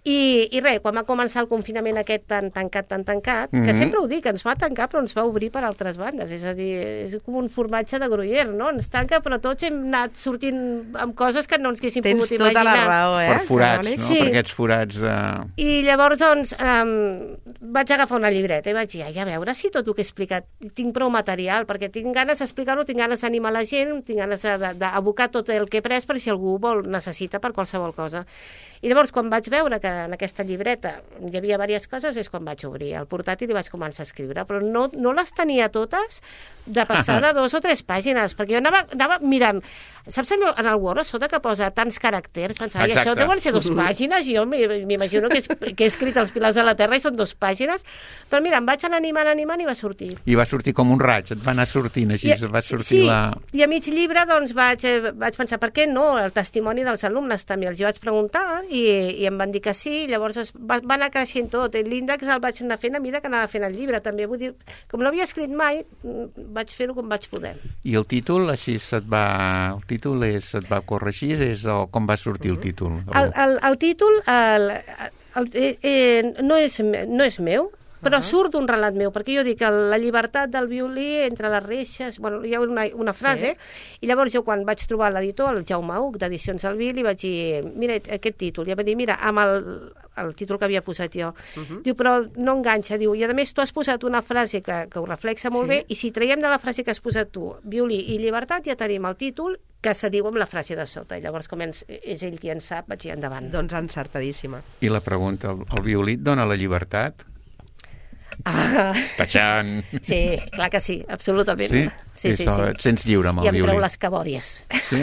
I, i res, quan va començar el confinament aquest tan tancat, tan tancat, mm -hmm. que sempre ho dic, ens va tancar però ens va obrir per altres bandes, és a dir, és com un formatge de Gruyère, no? Ens tanca però tots hem anat sortint amb coses que no ens haguéssim Tens pogut imaginar. tota la raó, eh? Per forats, no? Sí. Per aquests forats de... I llavors, doncs, um, vaig agafar una llibreta i vaig dir, ai, a veure si tot el que he explicat tinc prou material, perquè tinc ganes d'explicar-ho, tinc ganes d'animar la gent, tinc ganes d'abocar tot el que he pres per si algú vol, necessita per qualsevol cosa. I llavors, quan vaig veure que en aquesta llibreta hi havia diverses coses, és quan vaig obrir el portàtil i vaig començar a escriure, però no, no les tenia totes de passar de dos o tres pàgines, perquè jo anava, anava mirant, saps en el Word a sota que posa tants caràcters, pensava, i això deuen ser dues pàgines, i jo m'imagino que, que he escrit els pilars de la Terra i són dues pàgines, però mira, em vaig anar animant, animant i va sortir. I va sortir com un raig, et va anar sortint així, I, va sortir sí, la... i a mig llibre doncs vaig, eh, vaig pensar, per què no? El testimoni dels alumnes també, els hi vaig preguntar i, i em van dir que sí, llavors es, va, va anar creixent tot, l'índex el vaig anar fent a mesura que anava fent el llibre, també vull dir, com no havia escrit mai, vaig fer-ho com vaig poder. I el títol, així se't va... El títol és, et va corregir, és o com va sortir el títol? El, el, el títol el, el, eh, eh, no, és, no és meu, però uh -huh. surt d'un relat meu, perquè jo dic que la llibertat del violí entre les reixes, bueno, hi ha una, una frase, sí. I llavors jo quan vaig trobar l'editor, el Jaume Huc, d'Edicions Alví, li vaig dir, mira aquest títol, i em va dir, mira, amb el, el títol que havia posat jo, uh -huh. diu, però no enganxa, diu, i a més tu has posat una frase que, que ho reflexa molt sí. bé, i si traiem de la frase que has posat tu, violí i llibertat, ja tenim el títol que se diu amb la frase de sota, i llavors com és, és ell qui en sap, vaig dir endavant. Doncs encertadíssima. I la pregunta, el, el violí et dona la llibertat? Ah. Tachan! Sí, clar que sí, absolutament. Sí? Sí, sí, sí. Et sents lliure amb el violí? I em treu les cabòries. Sí?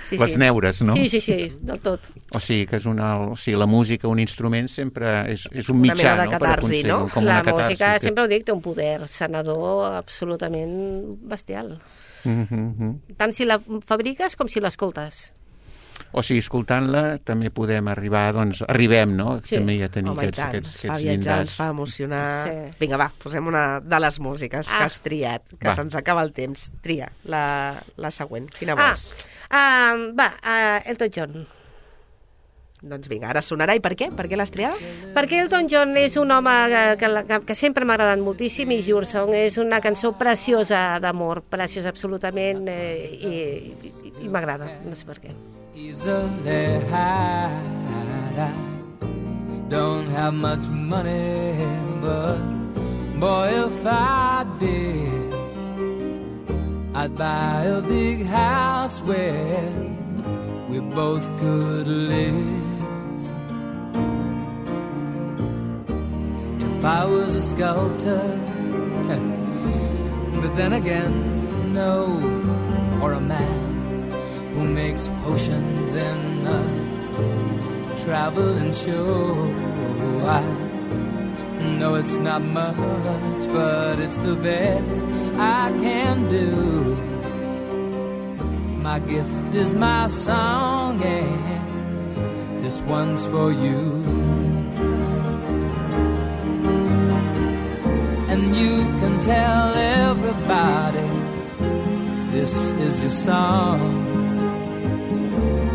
sí, les sí. neures, no? Sí, sí, sí, del tot. O sigui, que és una, o sigui, la música, un instrument, sempre és, és un mitjà, una mena de no? catarsi, no? Com la una catarsi, música, que... sempre ho dic, té un poder sanador absolutament bestial. Mm -hmm. Tant si la fabriques com si l'escoltes. O sigui, escoltant-la també podem arribar, doncs, arribem, no? Sí. També a tenir Home, aquests, tant, aquests, ens fa aquests viatjar, llindars. ens fa emocionar. Sí. Vinga, va, posem una de les músiques ah. que has triat, que Va. se'ns acaba el temps. Tria, la, la següent. Quina Ah, vols? uh, va, uh, Elton John. Doncs vinga, ara sonarà. I per què? Per què l'has triat? Perquè Elton John és un home que, que, que, que sempre m'ha agradat moltíssim, i Your Song és una cançó preciosa d'amor, preciosa absolutament, eh, i, i, i m'agrada, no sé per què. Easily hide. I don't have much money, but boy, if I did, I'd buy a big house where we both could live. If I was a sculptor, but then again, no, or a man who makes potions in a traveling show. I know it's not much, but it's the best I can do. My gift is my song, and this one's for you. And you can tell everybody this is your song.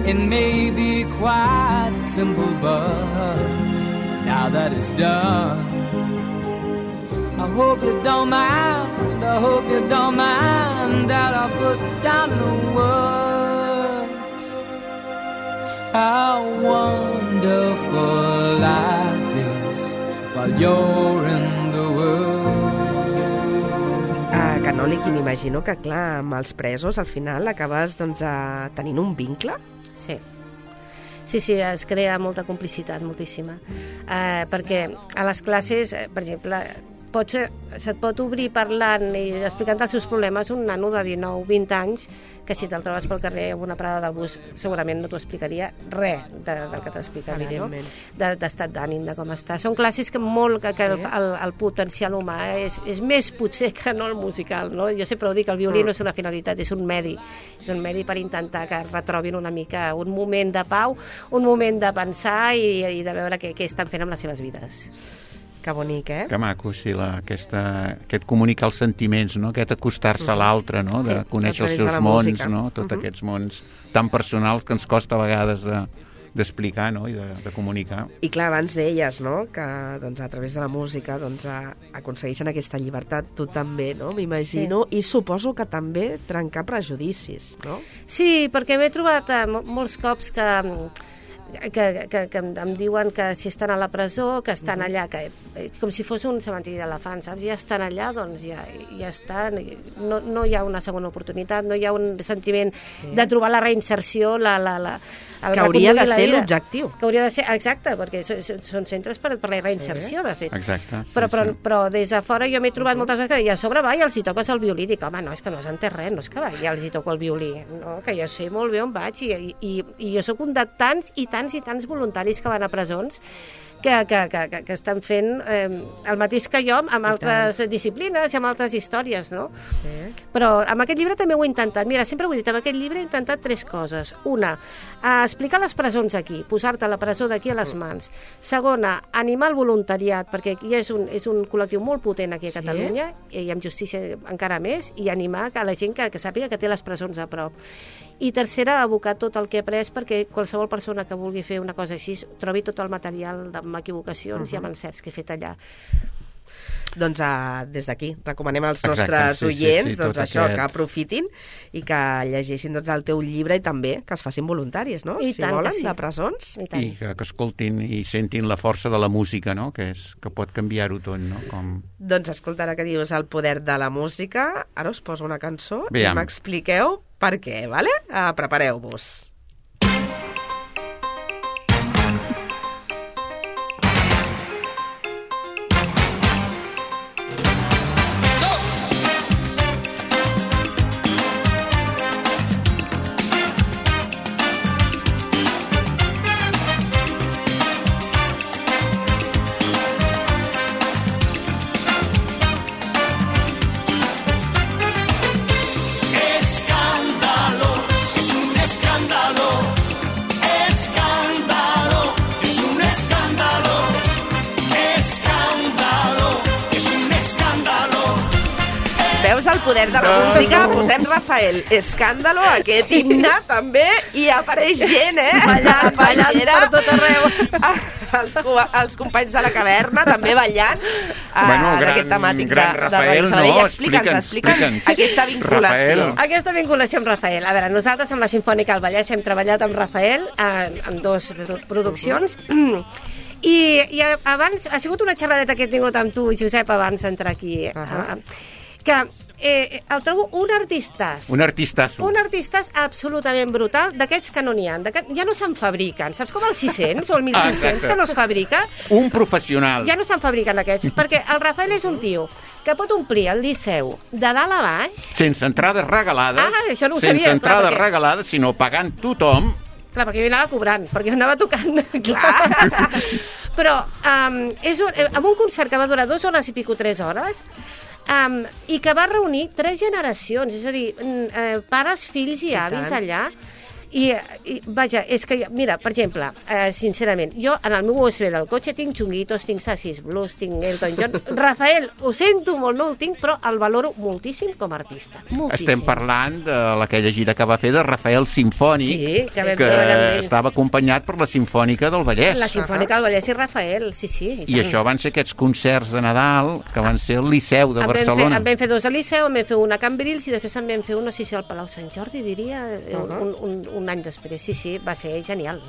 It may be quite simple, but now that it's done, I hope you don't mind, I hope you don't mind that I put down in the words how wonderful life is while you're in the world. Ah, canònic, i m'imagino que, clar, amb els presos, al final acabes, doncs, a... tenint un vincle? Sí. Sí, sí, es crea molta complicitat, moltíssima. Eh, perquè a les classes, per exemple, pots, se't pot obrir parlant i explicant els seus problemes un nano de dinou vint anys que si te'l trobes pel carrer amb una parada del bus segurament no t'ho explicaria res de, del que t'explicaria, no? D'estat d'ànim, de com està. Són classes que molt que, que el, el, el potencial humà és, és més potser que no el musical, no? Jo sempre ho dic, el violí no és una finalitat, és un medi. És un medi per intentar que retrobin una mica un moment de pau, un moment de pensar i, i de veure què, què estan fent amb les seves vides. Que bonic, eh? Que maco, sí, la, aquesta, aquest comunicar els sentiments, no? Aquest acostar-se a l'altre, no? De sí, conèixer els seus mons, no? Tots uh -huh. aquests mons tan personals que ens costa a vegades de, d'explicar, no? I de, de comunicar. I clar, abans deies, no?, que doncs, a través de la música doncs, a, aconsegueixen aquesta llibertat, tu també, no?, m'imagino, sí. I suposo que també trencar prejudicis, no? Sí, perquè m'he trobat eh, molts cops que... Que, que, que em diuen que si estan a la presó, que estan allà, que, com si fos un cementiri d'elefants, saps? Ja estan allà, doncs ja, ja estan. No, no hi ha una segona oportunitat, no hi ha un sentiment sí. de trobar la reinserció, la, la, la, el que hauria de ser l'objectiu. Que hauria de ser, exacte, perquè són, són centres per, per la reinserció, sí. de fet. Exacte. Sí, però, però, sí. però des de fora jo m'he trobat uh -huh. moltes vegades que i a sobre va i els hi toques el violí. Dic, home, no, és que no has entès res, no és que va i els hi toco el violí. No, que jo sé molt bé on vaig i, i, i jo soc un de tants i tants i tants voluntaris que van a presons que, que, que, que estan fent eh, el mateix que jo amb altres disciplines i amb altres històries, no? Sí. Però amb aquest llibre també ho he intentat. Mira, sempre ho he dit, amb aquest llibre he intentat tres coses. Una, eh, explicar les presons aquí, posar-te la presó d'aquí a les mans. Segona, animar el voluntariat, perquè aquí és un, és un col·lectiu molt potent aquí a Catalunya, sí. i amb justícia encara més, i animar a la gent que, que sàpiga que té les presons a prop. I tercera, abocar tot el que he après perquè qualsevol persona que vulgui fer una cosa així trobi tot el material de amb equivocacions uh-huh. i amb encerts que he fet allà. Doncs uh, des d'aquí recomanem als Exacte, nostres sí, oients sí, sí, doncs això, aquest... que aprofitin i que llegeixin doncs, el teu llibre i també que es facin voluntaris, no? I si tant volen, que sí. de presons. I, tant. I que, que escoltin i sentin la força de la música, no? Que, és, que pot canviar-ho tot, no? Com... Doncs escolta, ara que dius el poder de la música, ara us poso una cançó Veiem. i m'expliqueu per què, vale? Uh, prepareu-vos. El poder de la música, posem Rafael Escàndalo, aquest himne també, i apareix gent, eh? Ballant, ballant per tot arreu. Els, els companys de la caverna també ballant bueno, uh, d'aquest temàtic gran de, Rafael, de no, explica'ns, explica'ns aquesta vinculació. Rafael. Aquesta vinculació amb Rafael. A veure, nosaltres amb la Simfònica del Vallès hem treballat amb Rafael en, en dos produccions. Uh-huh. I, i abans, ha sigut una xerradeta que he tingut amb tu, Josep, abans d'entrar aquí. Uh-huh. Uh, que eh, el trobo un artistàs. Un artistàs. Un artistàs absolutament brutal, d'aquests que no n'hi ha. Ja no se'n fabriquen. Saps com el sis cents o el mil cinc-cents ah, que no es fabrica? Un professional. Ja no se'n fabriquen aquests, perquè el Rafael és un tio que pot omplir el Liceu de dalt a baix... Sense entrades regalades. Ah, això no ho sense sabia. Sense entrades clar, perquè... regalades, sinó pagant tothom. Clar, perquè jo anava cobrant, perquè jo anava tocant. Clar. Però um, és un, amb un concert que va durar dues hores i pico, tres hores, Um, i que va reunir tres generacions, és a dir, eh, pares, fills i, I avis tant. allà. I, I, vaja, és que, mira, per exemple, eh, sincerament, jo en el meu U S B del cotxe tinc Chunguitos, tinc Sassis Blues, tinc Elton John. Rafael, ho sento molt, no el tinc, però el valoro moltíssim com a artista. Moltíssim. Estem parlant de aquella gira que va fer de Rafael Simfònic, sí, que, que estava acompanyat per la Simfònica del Vallès. La Simfònica del Vallès i Rafael, sí, sí. I, I això van ser aquests concerts de Nadal que van ser al Liceu de en Barcelona. Fer, en vam fer dos al Liceu, en vam fer una a Cambrils i després en vam fer una, no sé si al Palau Sant Jordi, diria, uh-huh. un, un, un any després. Sí, sí, va ser genial.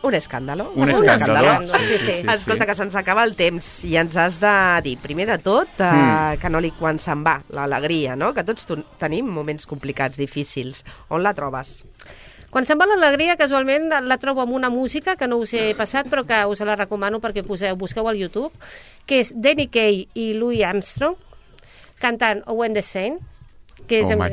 Un escàndalo. Un escàndalo. Sí, sí. Sí, sí. Escolta, que se'ns acaba el temps i ens has de dir, primer de tot, uh, mm. Canòlic, quan se'n va, l'alegria, no? Que tots tenim moments complicats, difícils. On la trobes? Quan se'n va l'alegria, casualment la trobo amb una música que no us he passat, però que us la recomano perquè poseu, busqueu al YouTube, que és Danny Kaye i Louis Armstrong cantant Oh When the Saint, que és, oh,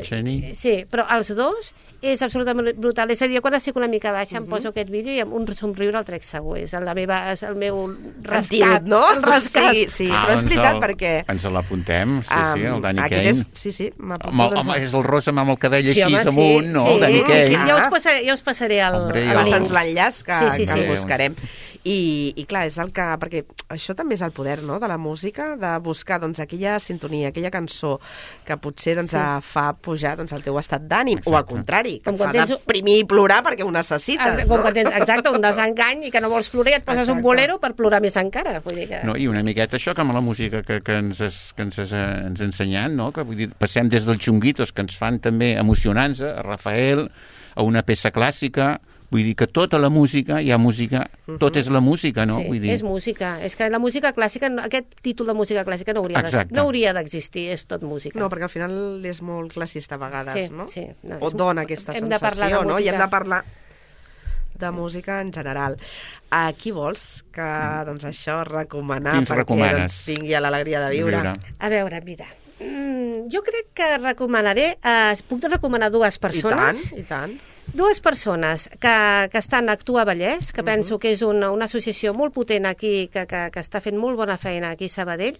sí, però els dos és absolutament brutal. És a dir, quan estic una mica baixa uh-huh. em poso aquest vídeo i amb un somriure el trec segur. És el, la meva, és el meu rescat, no? El rescat. Sí, sí, ah, però és veritat el, perquè... Ens l'apuntem, sí, um, sí, el Danny Kaye. És, sí, sí, m'apunto. Home, doncs... home, és el rosa amb el cabell sí, així home, damunt, sí, no? Sí, el Danny Kaye. Sí, sí, ja us passaré, ja us passaré el, Hombre, el link. L'enllaç que, sí, sí, que sí. el buscarem. I, I clar, és el que... Perquè això també és el poder, no?, de la música, de buscar, doncs, aquella sintonia, aquella cançó que potser, doncs, sí. fa pujar, doncs, el teu estat d'ànim, o al contrari, que fa tens... deprimir i plorar perquè ho necessites, com no? Quan tens, exacte, un desengany i que no vols plorar i et poses exacte. un bolero per plorar més encara. Vull dir que... No, i una miqueta això que amb la música que, que ens has, que ens has ens ensenyat, no?, que vull dir, passem des dels xunguitos, que ens fan també emocionants, a Rafael, a una peça clàssica. Vull dir que tota la música, hi ha música, uh-huh. tot és la música, no? Sí, Vull dir... és música. És que la música clàssica, aquest títol de música clàssica no hauria, de, no hauria d'existir, és tot música. No, perquè al final és molt classista a vegades, sí, no? Sí, no? O dona aquesta hem sensació, no? I hem de parlar de música en general. A qui vols que, doncs, això, recomanar Quins perquè recomanes? doncs, vingui a l'alegria de viure? viure? A veure, mira, mm, jo crec que recomanaré, eh, puc recomanar dues persones. I tant, i tant. Dues persones que, que estan a Actua Vallès, que uh-huh. penso que és una, una associació molt potent aquí, que, que, que està fent molt bona feina aquí a Sabadell,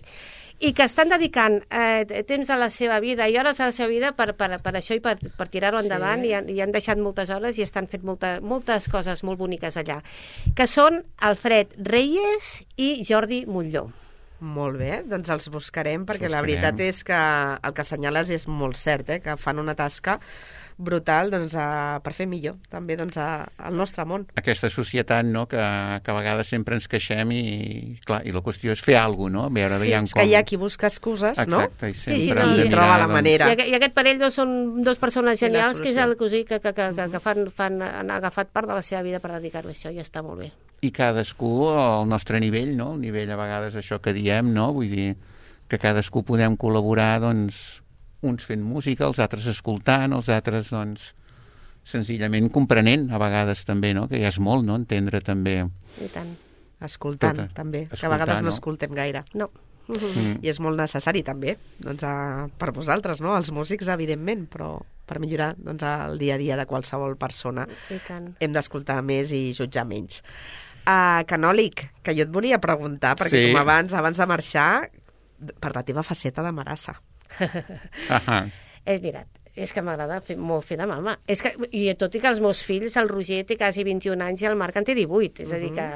i que estan dedicant eh, temps a la seva vida i hores a la seva vida per, per, per això i per, per tirar-ho endavant, sí. i, han, i han deixat moltes hores i estan fent molta, moltes coses molt boniques allà, que són Alfred Reyes i Jordi Montlló. Molt bé, doncs els buscarem, perquè la veritat és que el que assenyales és molt cert, eh? Que fan una tasca brutal doncs, a, per fer millor també doncs, a, al nostre món. Aquesta societat, no?, que, que a vegades sempre ens queixem i, clar, i la qüestió és fer alguna cosa, no? Veure, sí, és com... que hi ha qui busca excuses, exacte, no? I sempre sí, sí, no, i troba la manera. I, I aquest parell doncs, són dos persones genials que és el cosí que, que, que, que, que fan, fan, han agafat part de la seva vida per dedicar-ho a això i està molt bé. I cadascú al nostre nivell, no? El nivell a vegades això que diem, no? Vull dir que cadascú podem col·laborar, doncs, uns fent música, els altres escoltant, els altres, doncs, senzillament comprenent, a vegades també, no? Que ja és molt, no? Entendre també. I tant. Escoltant, Tota. també, Escoltar, que a vegades no, no escoltem gaire. No. Mm. I és molt necessari també, doncs, a, per vosaltres, no? Els músics, evidentment, però per millorar doncs, el dia a dia de qualsevol persona I tant. hem d'escoltar més i jutjar menys. Uh, Canòlic, que jo et volia preguntar, perquè sí. com abans, abans de marxar, per la teva faceta de marassa. Ahà. És veritat, és que m'agrada fer, molt fer de mama. És que, i tot i que els meus fills, el Roger té quasi vint-i-un anys i el Marc en té divuit, és a dir que...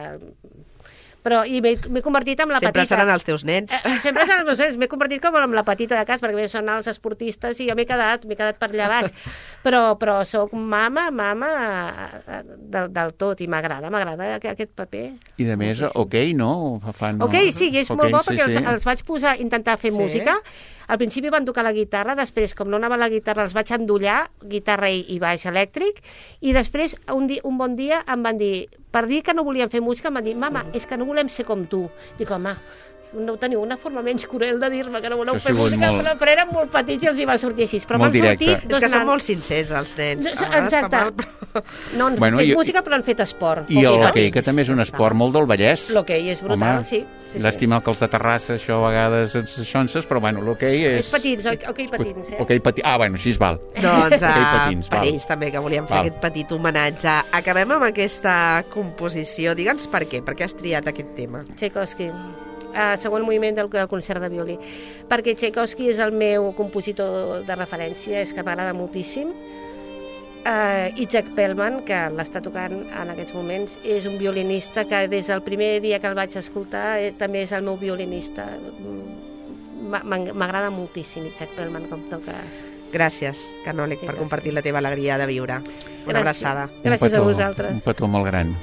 Però, i m'he convertit en la sempre petita... Sempre seran els teus nens. Eh, sempre seran els meus nens. M'he convertit com en la petita de cas, perquè són els esportistes i jo m'he quedat, m'he quedat per allà baix. Però, però sóc mama, mama del, del tot, i m'agrada, m'agrada aquest paper. I de més, ok, no? Fan, ok, sí, i és okay, molt bo perquè sí, els, sí. els vaig posar a intentar fer sí. música. Al principi van tocar la guitarra, després, com no anava la guitarra, els vaig endollar, guitarra i, i baix elèctric, i després, un, di, un bon dia, em van dir, per dir que no volien fer música, em van dir, mama, és que no volem ser com tu. Dic, home, no teniu una forma menys cruel de dir-me que no voleu fer música, molt... però eren molt petits i els hi va sortir així. Però molt van sortir directe. dos és que són nans. molt sincers, els nens. No, exacte. Mal, però... No han bueno, fet jo... música, però han fet esport. I l'hoquei, que també és un esport molt del Vallès. L'hoquei és brutal, home, sí. sí, llàstima que els de Terrassa, això a vegades ens xonses, però bueno, l'hoquei és... És petits, hoquei patins, eh? Hoquei patins, ah, bueno, així es val. Doncs a, patins, per val. ells també, que volíem fer val. aquest petit homenatge. Acabem amb aquesta composició. Digue'ns per què, per què has triat aquest tema? Tchaikovsky. Uh, segon moviment del, del concert de violí, perquè Tchaikovsky és el meu compositor de referència, és que m'agrada moltíssim. Uh, i Jack Pellman, que l'està tocant en aquests moments, és un violinista que des del primer dia que el vaig escoltar eh, també és el meu violinista. M'agrada moltíssim Jack Pellman com toca. Gràcies, Canòlic, per compartir la teva alegria de viure. Una Gràcies. abraçada. Gràcies petó, a vosaltres. Un petó molt gran.